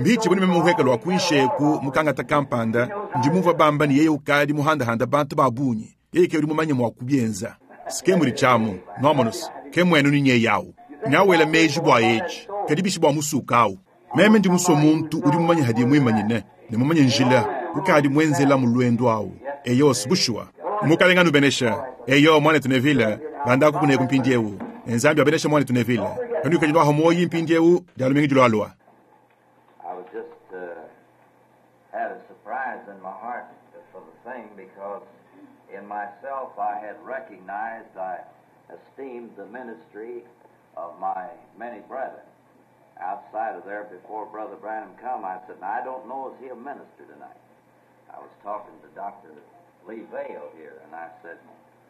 mbichi buni memuheka lwa kuisheku mukangata kampanda ndimuva bamba ni yeye ukali muhandahanda bantu babunyi yeye ke uri mumanye mwa kubyenza sike muri chamu nomonus ke mwenu ni nyeyawu nyawela meji bwa yeji kadi bishi bwa musukawu meme ndi muso muntu uri mumanye hadi mwimanyine ne mumanye njila ukali mwenzela mulwendo awu eyo sibushwa mukalenga nubenesha eyo mwana tunevila banda kukuneka mpindiewu enzambi abenesha mwana tunevila kanu kajinwa homoyi mpindiewu dalumingi julwalwa. I was just had a surprise in my heart for the thing because in myself I had recognized, I esteemed the ministry of my many brethren. Outside of there, before Brother Branham come, I said, now, I don't know, is he a minister tonight? I was talking to Dr. Lee Vayle here, and I said,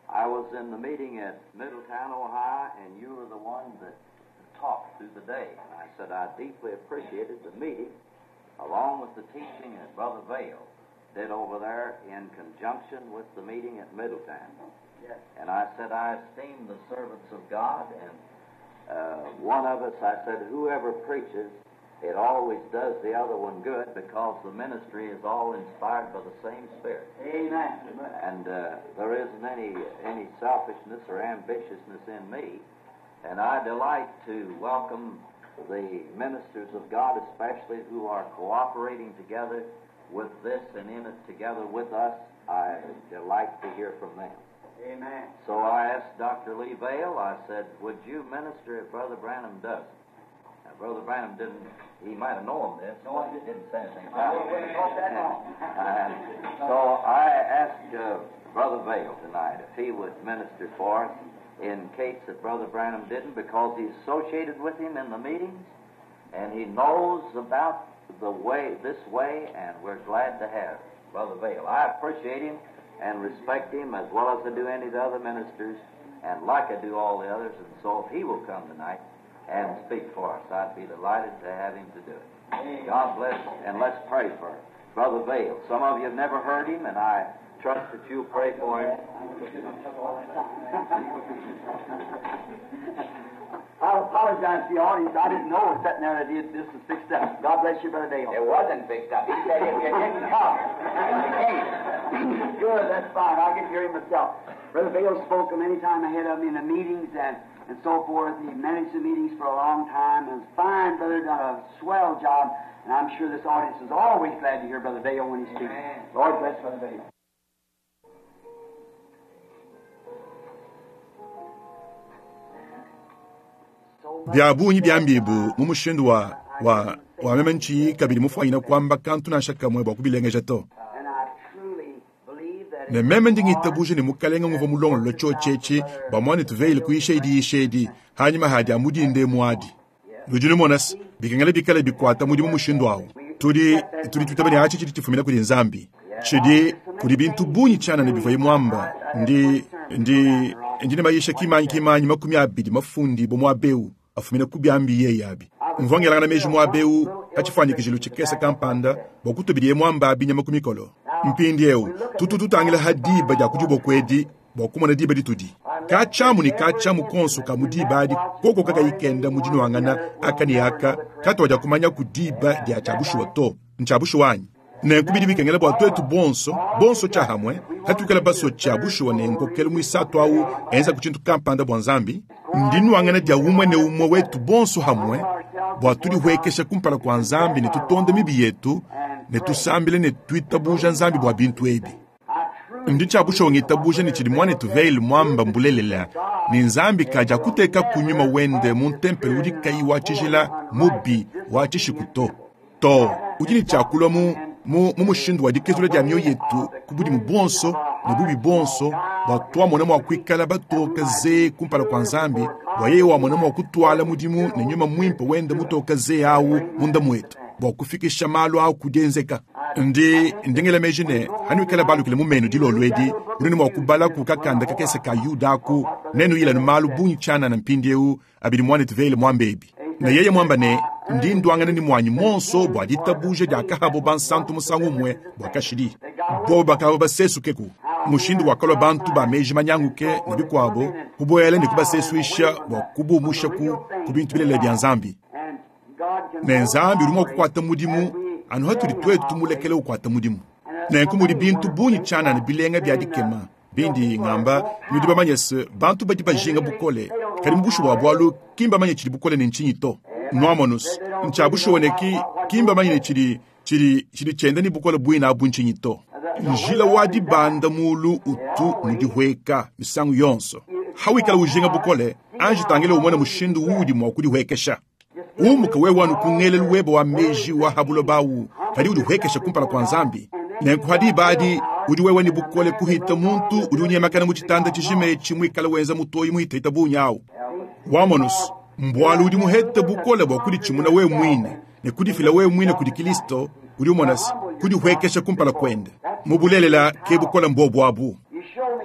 I was in the meeting at Middletown, Ohio, and you were the one that talked through the day. And I said, I deeply appreciated the meeting, along with the teaching that Brother Vayle did over there in conjunction with the meeting at Middletown. Yes. And I said, I esteem the servants of God, and one of us, I said, whoever preaches, it always does the other one good because the ministry is all inspired by the same Spirit. Amen. And there isn't any selfishness or ambitiousness in me. And I delight to welcome the ministers of God, especially who are cooperating together with this and in it together with us. I delight to hear from them. Amen. So I asked Dr. Lee Vayle, I said, would you minister if Brother Branham doesn't? Now, Brother Branham didn't, he might have known this, No, but I he didn't say anything I about wouldn't it. have thought that long. And so I asked Brother Vayle tonight if he would minister for us in case that Brother Branham didn't, because he's associated with him in the meetings, and he knows about the way, this way, and we're glad to have Brother Vayle. I appreciate him and respect him as well as I do any of the other ministers, and like I do all the others, and so if he will come tonight and speak for us, I'd be delighted to have him to do it. God bless, and let's pray for Brother Vayle. Some of you have never heard him, and I trust that you'll pray for him. I apologize to the audience. I didn't know sitting there that this was fixed up. God bless you, Brother Vayle. It wasn't fixed up. He said if you didn't come, you came. Good, that's fine. I'll get to hear him myself. Brother Vayle spoke many times ahead of me in the meetings and so forth. He managed the meetings for a long time. And fine brother, done a swell job. And I'm sure this audience is always glad to hear Brother Vayle when he speaks. Amen. Lord bless Brother Vayle. Bya bunyi bya mbibu mu mushindu wa wa memenchi kabili mufwanyina kwamba kantu na shaka mwe bwa kubilengeja to. And I truly believe that Ne meme ndingitabuje ne mukalenga nguva mulongo lo chochechi ba mwana tuveile kuisha idi ishedi hanyuma hadi amudinde mwadi. Nujinu monas bikengele bikale bikwata mudi mu mushindu awo. Tudi tudi tutabani achi chidi chifumina kuli nzambi. Chidi kuli bintu bunyi chana ne bivaye mwamba ndi ndi ndi ne mayisha kimanyi kimanyi 20 mafundi bo mwabeu afumina kubyambi ye yabi. Mvongela na meji mwabeu achifanyikijilo chikesa kampanda bokutubirie mwamba abinya makumikolo. Mpindi eu tutu tutangila hadiba ja kujubo kwedi bokumona diba ditudi. Kachamu ni kachamu konso kamudiba adi koko kaka ikenda mujini wangana akani aka katwaja kumanya kudiba dia chabushuwa to nchabushuwa anyi. Nenku bidi bikengela bua tuetu bonso, bonso tshiahamue, hatuikala basue tshia bushuwa ne nkokelu muisatu awu enza ku tshintu kampanda bua Nzambi, ndinuangana dia umue ne umue wetu bonso hamue, bua tudihuekesha kumpala kua Nzambi ne tutonde mibi yetu, ne tusambile ne tuitabuja Nzambi bua bintu ebi. Ndi tshia bushuwa ngitabuja ne tshidi muanetu Vayle muamba mbulelela, ne Nzambi kaja kuteka ku nyuma wende mu ntempelo udi kayi wa tshijila mubi wa tshishiku to. To, udi ne tshia kulua mu mu mu mushindu wa dikezula dia mioyo yetu ku budimu buonso ne bubi buonso, bua tuamona mua kuikala batoka ze kumpala kua Nzambi, bua yeye wamona mua kutuala mudimu ne nyuma muimpe wende mutoka ze awu munda muetu, bua kufikisha malu awu ku dienzeka. Ndi ndingela meji ne hanuikala balukile mu menu dilolo edi, udi ne mua kubala ku kakanda kakese ka Yuda aku, nenuyilanu malu bungi tshianana mpindieu abidi muanetu Vayle muamba ebi. Ne yeye muamba ne, ndi nduangana ne muanyi monso bua ditabuja dia kahabo bansantu musangu umue bua kashidi. Bobo bakaba basesukeku mushindu wakalua bantu ba meji manyanguke ne bikuabo kubuela ne kubasesuisha bua kubumusha ku ku bintu bilelela bia Nzambi. Ne Nzambi udi mua kukuata mudimu anu hatudi tuetu tumulekele ukuata mudimu. Nenku mudi bintu bungi tshianana bilenga bia dikema bindi ngamba, nudi bamanye se bantu badi bajinga bukole, kadi mu bushuwa bualu ki mbamanye tshidi bukole ne ntshinyi to. Nuamonus, ntshia bushuwa ne ki ki mbamanye ne tshidi tshidi tshidi tshienda ne bukole buina abu ntshinyi to. Njila wa dibanda mulu utu mudihueka misangu yonso. Hawikala ujinga bukole, anji tangile umone mushindu uudi mua kudihuekesha. Umuka wewe wanu ku ngelelu webe wa meji wa habuloba awu, kadi udihuekesha kumpala kua Nzambi. Nenku hadi badi udi wewe ne bukole kuhita muntu udi unyemakana mu tshitanda tshijima etshi muikale wenza mutoyi muhitahita bungi awu. Wamonus, mbualu udi muhete bukole bua kuditshimuna wewe muine ne kudifila wewe muine kudi Kristo, udi umona se kudihuekesha kumpala kuende. Mu bulelela ke bukole mbobu abu.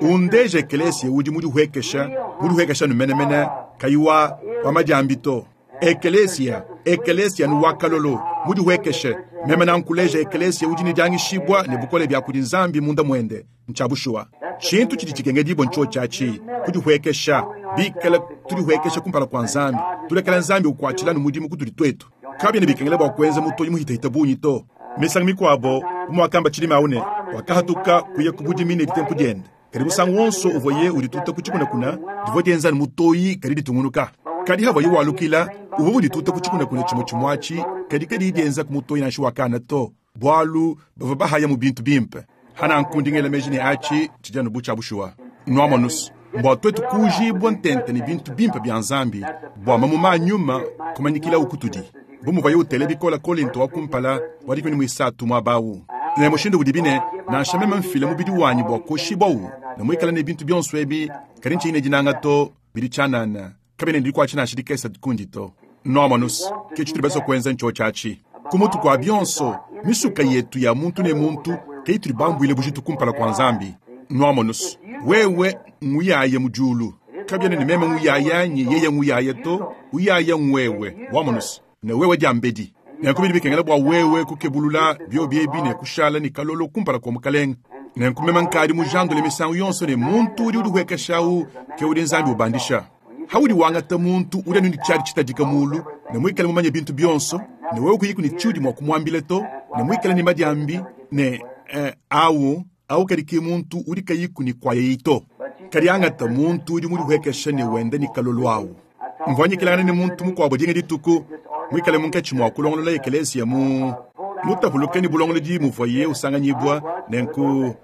Undeje ekelesia udi mudihuekesha, mudihuekesha numenemene, kayi wa wa madiambi to. Ekelesia, ekelesia nu wakalolo, mudihuekeshe. Meme nankuleja ekelesia udi ne diangishibua ne bukole bia kudi Nzambi munda muende, ntshia bushuwa. Tshintu tshidi tshikengedibua ntsho tshiatshi, kudihuekesha, bikala tudihuekesha kumpala kua Nzambi, tulekela Nzambi ukuatshila nu mudimu kutudi tuetu. Kabiena bikengela bua kuenza mutoyi muhitahita bungi to. Misangu mikuabo, bu muakamba tshilima awu ne, wakahatuka kuya ku budimi ne ditempu diende. Kadi musangu wonso uvuaye udituta ku tshikunakuna, divua dienza ne mutoyi kadi ditungunuka. Kadi havuaye walukila, uvua udituta ku tshikunakuna tshimue tshimue atshi, kadi kadi dienza ku mutoyi nansha wakana to, bualu bavua bahaya mu bintu bimpe. Hananku ndi ngela meji ne atshi tshidi anu bu tshia bushuwa. Nuamonus, mbua tuetu kuujibua ntente ne bintu bimpe bia Nzambi, bua mamuma a nyuma kumanyikilawu kutudi. Bu muvuaye utela bikole Kolinto wa kumpala wa 13 muaba awu. Ne mushindu udibi ne, nansha meme mfila mubidi wanyi bua kuoshibwawu, ne muikale ne bintu bionso ebi, kadi ntshiyi ne dinanga to, bidi tshianana, kabiena ne dikuatshi nansha dikese kundi to. Nuamonus, ke tshitudi basue kuenza ntsho tshiatshi. Ku mutu kua bionso, misuka yetu ya muntu ne muntu ke itudi bambuile bujitu kumpala kua Nzambi. Nuamonus, wewe nguyaye mu diulu. Kabiena ne meme nguyaya anyi yeye nguyaya to, uyaya ngwewe. Wamonus, ne wewe diambedi. Nenku bidi bikengela bua wewe kukebulula biobi ebi ne kushala ne kalolo kumpala kua mukalenge. Nenku meme nkadi mujandule misangu yonso ne muntu udi udihuekeshawu ke udi Nzambi ubandisha. Haudi wangata muntu udi anu ne tshiadi tshitadika mulu, ne muikale mumanye bintu bionso, ne wewe kuyiku ne tshiudi mua kumuambila to, ne muikale ne madiambi, ne awu awu kadi ke muntu udi kayiku ne kuayeyi to. Kadi angata muntu udi mudihuekesha ne wenda ne kalolo awu. Mvua nyikilangana ne muntu mukuabo dinga dituku, muikale munkatshi mua kulongolola ekelesia mu mutapuluke ne bulongolodi muvuaye usanganyibua, nenku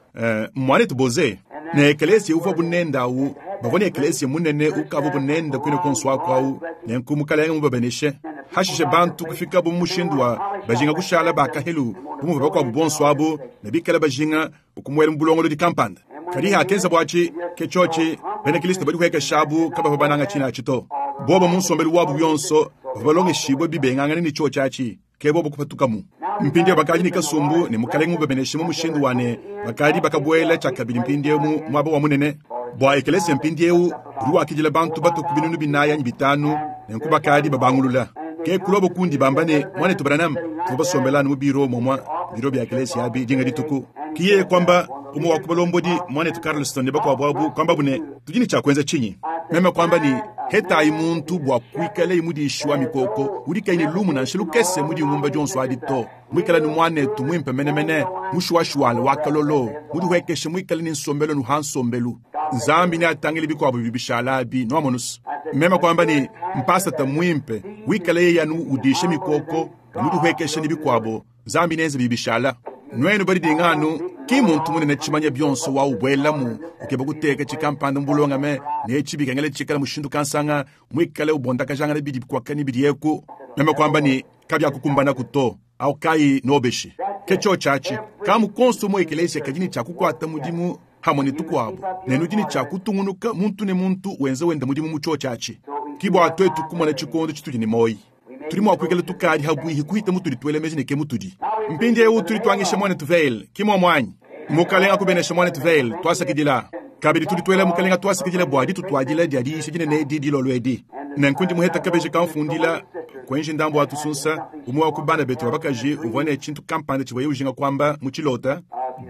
muanetu Boze. Ne ekelesia uvua bunenda awu, bavua ne ekelesia munene ukavua bunenda kuine konso aku awu, nenku mukalenge mubabeneshe. Hashishe bantu kufikabu mu mushindu wa bajinga kushala bakahelu bu muvua bakuabu bonso abu, ne bikale bajinga ukumuela mu bulongolodi kampanda. Kadi hakenza buatshi ke tshiotshi, bena Kristo badihuekeshabu kabavua bananga tshina atshi to. Bobo mu nsombelu wabu yonso bavua balongeshibue bibengangane ne tshiotshi atshi, ke bobo kupatukamu. Mpindieu bakadi ne kasumbu ne mukalenge mubabeneshe mu mushindu wa ne bakadi bakabuela tshiakabidi mpindieu mu muaba wa munene. Bua ekelesia mpindieu udi wakidila bantu batue ku binunu binayi anyi bitanu, nenku bakadi babangulula. Ke kulobo kundi bamba ne, muanetu Branham, tuvua basombela anu mu biro momua biro bia ekelesia abi dinga dituku. Ki yeye kuamba umue wa ku balombodi muanetu Carlston ne bakuabu abu kuambabu ne, tudi ne tshia kuenza tshinyi? Meme kuamba ne, Hetayi muntu bua kuikaleye mudishi wa mikoko udi kayi ne lumu nansha lukese mu dingumba dionso adi to, muikale ne muanetu muimpe menemene, mushuwashuwale wa kalolo, mudihuekeshe, muikale ne nsombelu nuha nsombelu. Nzambi neatangile bikuabo bidi bishala abi. Nuamonusu? Meme kuamba ne, mpasata muimpe wikale yeye anu udisha mikoko ne mudihuekeshe ne bikuabo, Nzambi neenze bidi bishala. Nuenu badidinga anu ki muntu munene tshimanya bionso wa ubuelamu ukeba kuteka tshikampanda mu bulongame ne etshi bikengela tshikale mushindu kansanga muikale ubondakajangana bidi bikwaka ne bidi eku. Meme kuamba ne, kabiakukumbanaku to. Awu kayi nobeshi. Ke tshiotshi atshi. Kamu konso mu ekeleziya kadi ne tshia kukuata mudimu hamue ne tukuabu, ne nudi ne tshia kutungunuka muntu ne muntu wenza wenda mudimu mu tshiotshi atshi. Ki bua tuetu kumona tshikondo tshitudi ne muoyi. Tudi mua kuikala tukadi habuihi kuhita mutudi tuela meji ne ke mutudi. Mpindieu tudi tuangisha muanetu Vayle, ki muomu anyi? Mukalenga akubenesha muanetu Vayle, tuasakidila. Kabidi tudi tuela Mukalenga tuasakidila bua ditutuadila dia diyisha dinene edi dilolo edi. Nenku ndi muheta kabeji kamfundila kuenji ndambu wa tusunsa, umue wa ku bana betu ba bakaji uvua ne tshintu kampanda tshivuaye ujinga kuamba mu tshilota.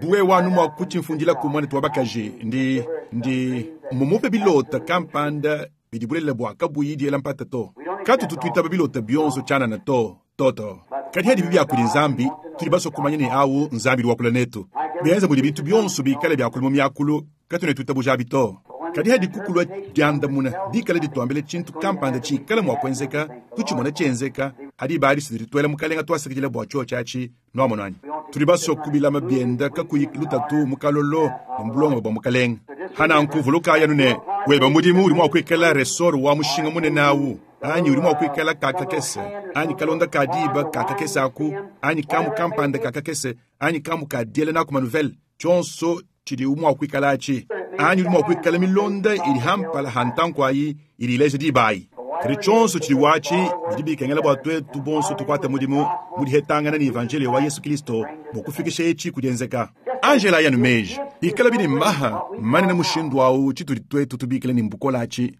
Bu wewe anu mua kutshimfundilaku muanetu wa bakaji, ndi, ndi mumupe bilota kampanda bidi bulelela bua kabuyi diela mpata to. Katutu tuitaba bilota bionso tshianana to, to, to. Kadi hadibi bia kudi Nzambi, tudi basue kumanya ne awu Nzambi udi wakula netu. Bienza mudi bintu bionso bikale biakula mu miakulu, katuena tuitabujabi to. Kadi hadiku kulua diandamuna dikale dituambila tshintu kampanda tshikale mua kuenzeka, tutshimona tshienzeka, hadiba adi tudi tuela Mukalenga tuasakidila bua tshiotshi atshi. Nuamonu anyi? Tudi basue kubilama bienda kakuyi lutatu mu kalolo ne mu bulongame bua Mukalenga. Hananku vulukayi anu ne, weba mudimu udi mua kuikala resort wa mushinga munene awu, anyi udi mua kuikala ka kakese, anyi kalonda ka diba ka kakese aku, anyi kamu kampanda ka kakese, anyi kamu ka diela naku manuvele, tshionso tshidi mua kuikala atshi, anyi udi mua kuikala milonda idi ha mpala ha ntanku ayi idi ileja diba ayi. Kadi tshionso tshidi watshi bidi bikengela bua tuetu bonso tukuate mudimu mu dihetangana ne evanjeliyo wa Yesu Kilisto bua kufikisha etshi ku dienzeka. Angela anu meji ikala bidi maha manene mushindu awu tshitudi tuetu tubikila ne mbukola atshi.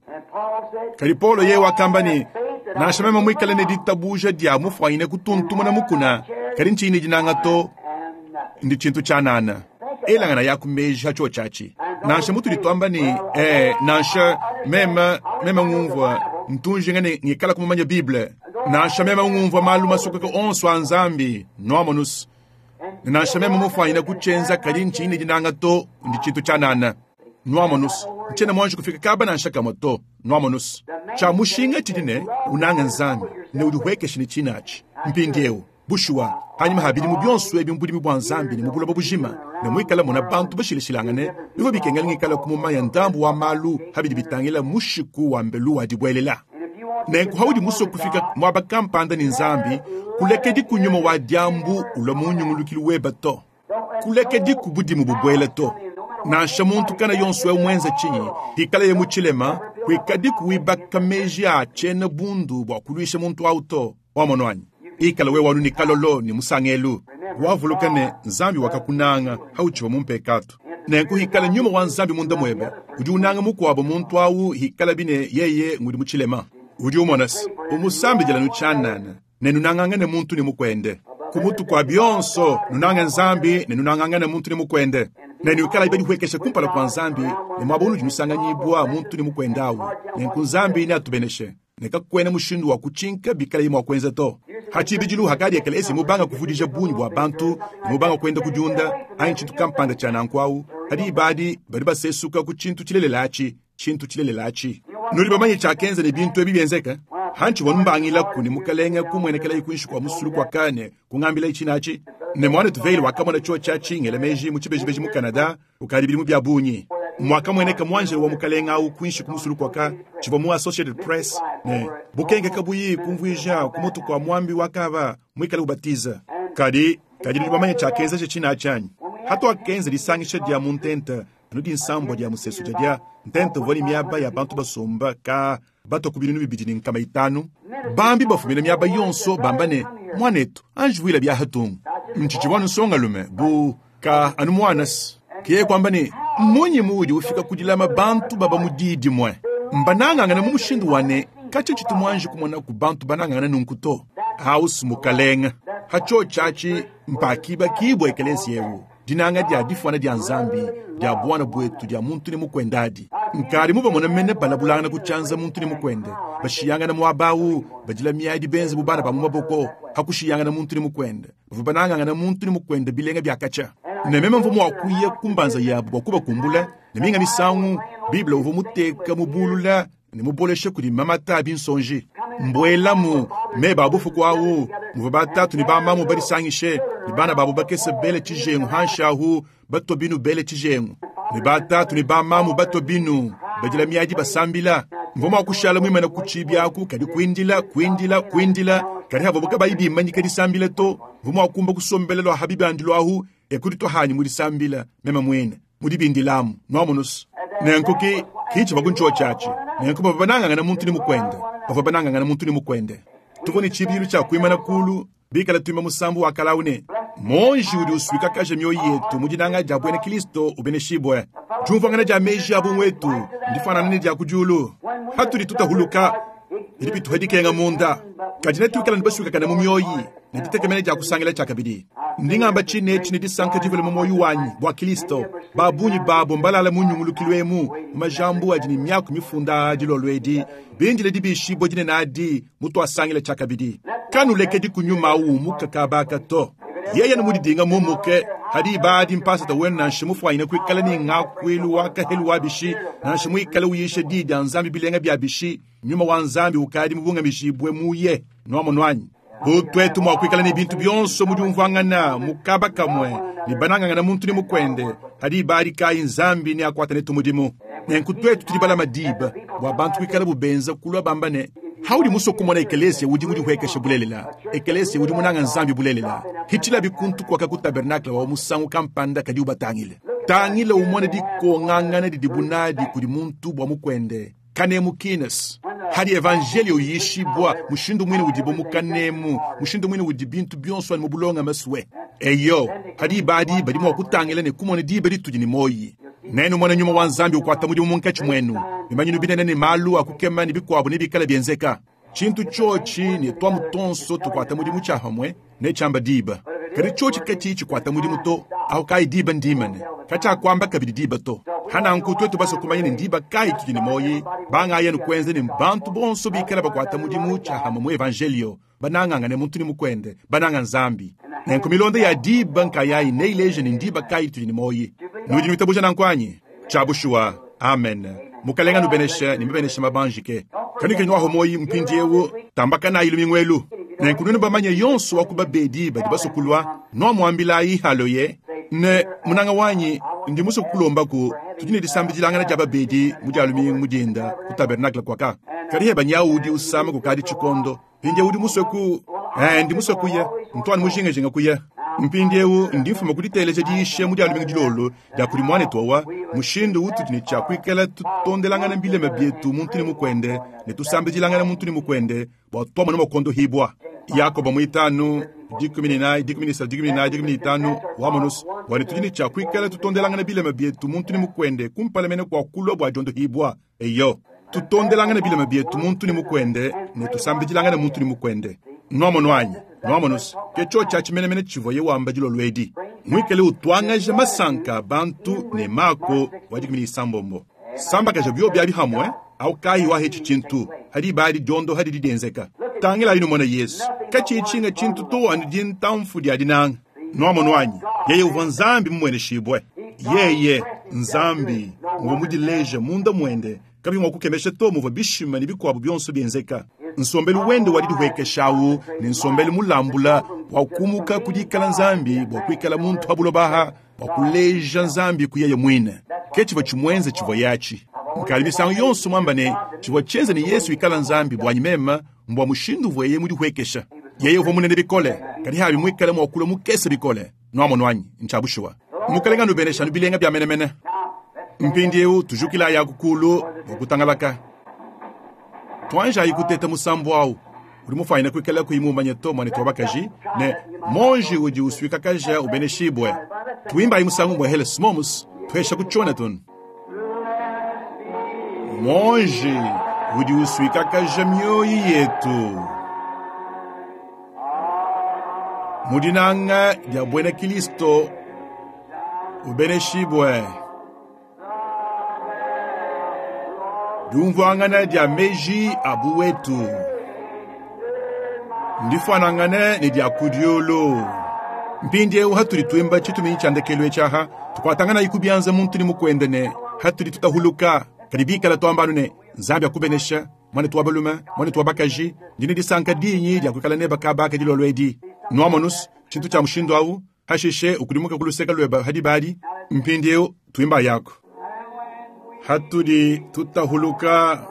Kadi Paulo yeye wakamba ne, nansha meme muikale ne ditabuja dia mufuanyine kutuntumuna mukuna, kadi ntshiyi ne dinanga to, ndi tshintu tshianana. Elangana ya ku meji ha tshiotshi atshi. Nansha mutudi tuamba ne, nansha meme, meme ngumvua ntunjinga ne ngikala kumumanya Bible, nansha meme ngumvua malu masokoka onso a Nzambi, nuamonus, ne nansha meme mufuanyine kutshienza, kadi ntshiyi ne dinanga to, ndi tshintu tshianana. Nuamonus, ntshiena muanji kufika kaba nansha kamue to. Nuamonus, tshia mushinga tshidi ne unanga Nzambi ne udihuekeshe ne tshinatshi. Mpindieu bushuwa, panyima ha bidimu bionso ebi mu budimi bua Nzambi ne mu buloba bujima, ne muikale mona bantu bashilashilangane, bivua bikengela ngikale kumumanya ndambu wa malu ha bidi bitangila mushiku wa mbelu wa dibuelela. Nenku haudi musue kufika muaba kampanda ne Nzambi, kulekedi ku nyuma wa diambu ulua mu nyungulukilu weba to. Kulekedi ku budimu bubuela to. Nansha muntu kana yonso eu muenza tshinyi, hikaleye mu tshilema, kuikadiku wibaka meji a tshiena bundu bua kuluisha muntu au to. Wamonu anyi? Ikala wewe anu ne kalolo ne musangelu. Wavuluka ne, Nzambi wakakunanga hautshivua mu mpekatu. Nenku hikala nyuma wa Nzambi munda muebe, udi unanga mukuabo muntu au hikala bine yeye ngudi mu tshilema. Udi umona se, umusambidila nu tshianana ne nunangangane muntu ne mukuende. Ku mutu kua bionso, nunange Nzambi ne nunangangane muntu ne mukuende. Ne nuikalayi badihuekesha kumpala kua Nzambi ne muaba unudi nusanganyibua muntu ne mukuende au. Nenku Nzambi neatubeneshe. Ne kakuena mushindu wa kutshinka bikalaye mua kuenza to. Ha tshibidilu hakadi ekeleziya mubanga kuvudija bungi bua bantu ne mubanga kuenda kudiunda anyi tshintu kampanda tshia nanku au, ha diba adi badi basesuka ku tshintu tshilelela atshi, tshintu tshilelela atshi. Nudi bamanye tshiakenza ne bintu ebi bienzeke? Hantshivua mbangilaku ne Mukalenge kumuenekelaye kuinshi kua musulu kuaka ne kungambilaye tshina atshi. Ne muanetu Vayle wakamona tshiotshi atshi ngela meji mu tshibejibeji mu Canada kukadi bidimu bia bungi. Muakamueneka muanjelo wa Mukalenge au kuinshi ku musulu kuaka, tshivua mu Associated Press, ne bukenke kabuyi kumvuija ku mutu kua muambi wakaba muikale ubatiza. Kadi, kadi nudi bamanye tshiakenzeje tshina atshi anyi? Hatuakenza disangisha dia mu ntenta anu dinsambua dia musesu dia ntenta uvua ne miaba ya bantu basomba ka batua ku 2500. Bambi bafumina miaba yonso bamba ne, muanetu anji vuila bia hatungu. Ntshitshivua anu nsongalume bu ka anu muanas. Ke kuamba ne, mmunyi muudi ufika ku dilama bantu baba mu di dimue mbanangangane mu mushindu wa ne katshia tshitu muanji kumona ku bantu banangangane nunku to. House mukalenga ha tshiotshi atshi mpakibakibua ekeleziya eu. Dinanga dia difuana dia Nzambi, dia buana buetu, dia muntu ne mukuende adi. Nkadi mubamone mene balabulangana ku tshianza muntu ne mukuende, bashiyangana muaba awu, badila miadi benze bu bana ba mu maboko, pa kushiyangana muntu ne mukuende. Bavua banangangana muntu ne mukuende bilenga bia katshia. Ne meme mvua mua kuya ku mbanza yabu bua kubakumbula, ne minga misangu Bible uvua muteka mubulula ne mubolesha kudi mamata a binsonji. Mbuelamu meba a bufuku awu, muvua batatu ne bamamu badisangishe, ne bana babu bakese bele tshijengu hanshi ahu, batua binu bele tshijengu, ne batatu ne bamamu batua binu badila miadi basambila. Mvua mua kushala muimane ku tshiibi aku, kadi kuindila, kuindila, kuindila, kadi havuabu kabayi bimanyika disambila to. Mvua mua kumba kusombela lua ha bibandilu ahu, e kuditua hanyi mu disambila meme muine mu dibindilamu. Nuamonusu? Nenku ki, ki tshivua ku ntshio atshi. Nenku bavua banangangana muntu ne mukuende, bavua banangangana muntu ne mukuende. Tuvua ne tshibidilu tshia kuimana kulu bikala tuimba musambu wa kale au ne, Monji udi usuikakaja mioyo yetu mu dinanga dia buena Kristo ubeneshibue. Diumvuangana dia meji a bunwetu ndifanana ne dia ku diulu. Patudi tutahuluka, bidi bituha dikenga munda, kadi netuikale ne basuikakane mu mioyi ne ditekemena dia kusangila tshiakabidi. Ndi ngamba tshine etshi ne disanka divule mu muoyo wanyi bua Kristo. Ba bungi babo mbalale mu nyungulukilu emu mu majambu adi ne miaku mifunda aa dilolo edi, bindile dibishibua dinene adi mutuasangila tshiakabidi. Kanulekedi ku nyuma au umuka kaba aka to. Yeye ne mudidinga mumuke, hadi diba adi mpasata wenu nansha mufuanyine kuikala ne ngakuilu wa kahelu wa bishi, nansha muikale uyisha diyi dia Nzambi bilenga bia bishi, nyuma wa Nzambi ukadi mubungamijibue muye. Nuamonu anyi? Bu tuetu mua kuikala ne bintu bionso mu diumvuangana mu kaba kamue ne banangangana muntu ne mukuende, hadi diba adi kayi Nzambi neakuate netu mudimu. Nenku tuetu tudi balama diba bua bantu kuikalabu benza kulua bamba ne, Haudi musue kumona ekelesia udi mudihuekeshe bulelela, ekelesia udi munanga Nzambi bulelela, hitshilabi kuntu kuaka ku tabernakle wa musangu kampanda kadi ubatangile. Tangila umone dikongangana didibu nadi kudi muntu bua mukuende. Kanemu kines. Hadi evanjelio uyishibua, mushindu muine udibo mu kanemu, mushindu muine udi bintu bionso anu mu bulongame sue. Eyo, pa diba adi badi mua kutangila ne kumona diba ditudi ne muoyi. Nenumone nyuma wa Nzambi ukuata mudimu munkatshi muenu, bimanyinu binene ne malu a kukema ne bikuabo nebikale bienzeka. Tshintu tshiotshi ne tuamu tuonso tukuata mudimu tshia pamue netshiamba diba. Kadi tshiotshi katshiyi tshikuata mudimu to, ahu kayi diba ndimane, katshiakuamba kabidi diba to. Hananku tuetu basue kumanya ne ndiba kayi tudi ne muoyi, bangayi anu kuenza ne bantu bonso bikale bakuata mudimu tshia hamue mu evanjelio, banangangane muntu ne mukuende, bananga Nzambi. Nenku milonda ya diba nkayayi neileje ne ndiba kayi tudi ne muoyi. Nudi nuitabuja nanku anyi? Tshia bushuwa. Amen. Mukalenga anubeneshe ne mabenesha mabanjike. Kanuikadi nuaho muoyi mpindiewu, tambakanayi lumingu elu. Nenku nuenu bamanye yonso wa ku babedi badi basue kulua, nuamuambilayi haloye ne, Munanga wanyi, ndi musue kukulombaku, tudi ne disambidilangana dia babedi mu dia lumingu mu dinda ku tabernakle kuaka. Kadi heba nyawu udi usama kukadi tshikondo. Mpindiewu udi musue ku, eh, ndi musue kuya, ntu anu mujingajinga kuya. Mpindiewu ndi mfuma ku diteleja diyisha mu dia lumingu dilolo dia kudi muanetu wawa, mushindu utudi ne tshia kuikala tutondelangana bilema bietu muntu ne mukuende ne tusambidilangana muntu ne mukuende bua tuamona mua kuondohibua. Yakoba muitanu, 14, 13, 14, 15, wamonus, bua ne tudi ne tshia kuikala tutondelangana bilema bietu muntu ne mukuende kumpala mene kua kulua bua diondohibua. Eyo, tutondelangane bilema bietu muntu ne mukuende ne tusambidilangane muntu ne mukuende. Nuamonu anyi? Nuamonus, ke tshiotshi atshi menemene tshivuaye wamba dilolo edi. Muikale utuangaja masanka a bantu ne Mako wa 16. Sambakaja biobi abi hamue, au kayi wahetshi tshintu, ha diba adi diondoha didi dienzeka. Tangilayi numone Yesu, katshiyi tshinga tshintu to anu dintamfu dia dinanga. Nuamonu anyi? Yeye uvua Nzambi mumueneshibue. Yeye, Nzambi, uvua mudileje munda muende, kabiyi mua kukemesha to muvua bishima ne bikuabu bionso bienzeka. Nsombelu wende wa didihuekesha au ne nsombelu mulambula wa kumuka ku dikala Nzambi bua kuikala muntu pa buloba aha, bua kuleja Nzambi ku yeye muine. Ke tshivua tshimuenze tshivuaye atshi. Nkadi misangu yonso muamba ne, tshivua tshienze ne Yesu ikala Nzambi buanyi meme mbua mushindu uvuaye mudihuekesha. Yeye uvua munene bikole, kadi habi muikale mua kulua mukese bikole. Nuamonu anyi? Ntshia bushuwa. Mukalenga anubeneshe anu bilenga bia menemene. Mpindieu tujukilayi aku kulu bua kutangalaka. Tuanjayi kuteta musambu au. Udi mufuanyine kuikala kuyi mumanye to, muanetu wa bakaji, ne monji udi usuikakaja ubeneshibue. Tuimbayi musangu umue hele smomus, tuhesha ku tshiona tun. Monji udi usuikakaja mioyi yetu mu dinanga dia buena Kilisto, ubeneshibue. Diumvuangana dia meji a buwetu ndifuanangane ne dia ku diulu. Mpindieu hatudi tuimba tshituminyi tshia ndekelu etshi aha, tukuatanganayi ku bianza muntu ne mukuende ne hatudi tutahuluka. Kadi bikala tuamba anu ne, Nzambi akubenesha, mwanetu wa balume, mwanetu wa bakaji, ndi ne disanka dinyi dia kuikala neba kaba aka dilolo edi. Nuamonus, tshintu tshia mushindu awu, hashishe ukudimuka ku luseke lueba hadi badi, mpindieu tuimba yako. Hatudi tutahuluka,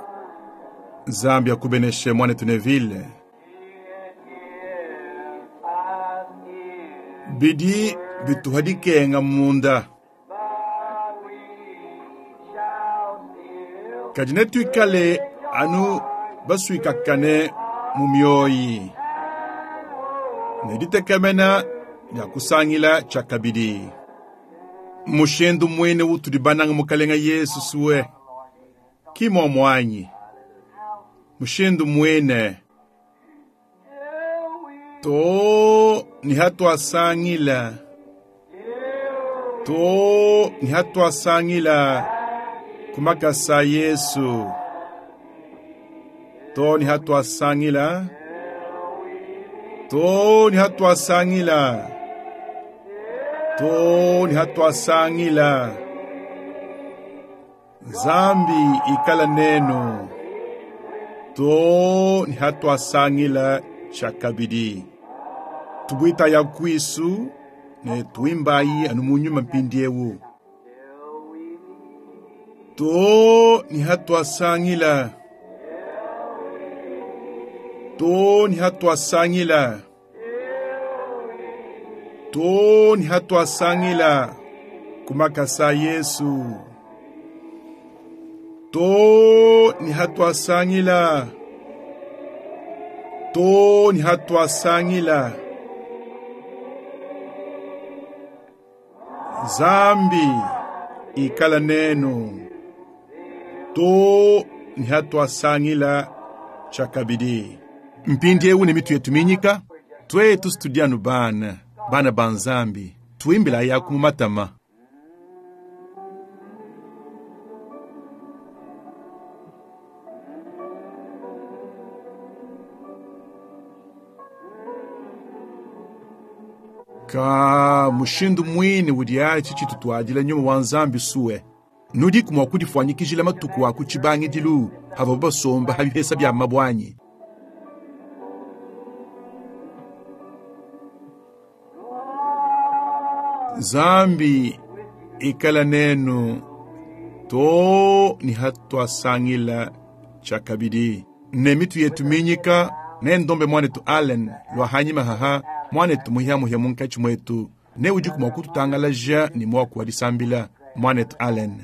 Nzambi akubeneshe mwanetu Neville. Bidi bituha dikenga munda. Kadi netuikale anu basuikakane mu mioyi ne ditekemena dia kusangila tshiakabidi. Mushindu muine utudi banange Mukalenga Yesu suwe ki muomuanyi. Mushindu muine to ni hatuasangila, to ni hatuasangila kumakasa Yesu, to ni hatuasangila, to ni hatuasangila, to ni hatuasangila. Nzambi ikala nenu, to ni hatuasangila tshiakabidi. Tubuita ya kwisu ne tuimbayi anu mu nyuma mpindiewu. To ni hatuasangila, to ni hatuasangila, to ni hatuasangila kumakasa Yesu. To ni hatuasangila, to ni hatuasangila. Nzambi ikala nenu, to ni hatuasangila tshiakabidi. Mpindiewu ne mitu yetu minyika, twetu studianu bana, bana ba Nzambi, tuimbila yaku mu matama. Ka mushindu muine udi atshi tshitutuadila nyuma wa Nzambi suwe. Nudiku mua kudifuanyikijila matuku a ku tshibangidilu havua basomba ha bihesa bia mabwanyi. Nzambi ikala nenu to ni hatuasangila tshiakabidi. Ne mitu yetu minyika ne ndombe mwanetu Allen lwa hanyima haha mwanetu muhiamuhia munkatshi mwetu ne udiku mua kututangalaja ne muaku wa disambila mwanetu Allen.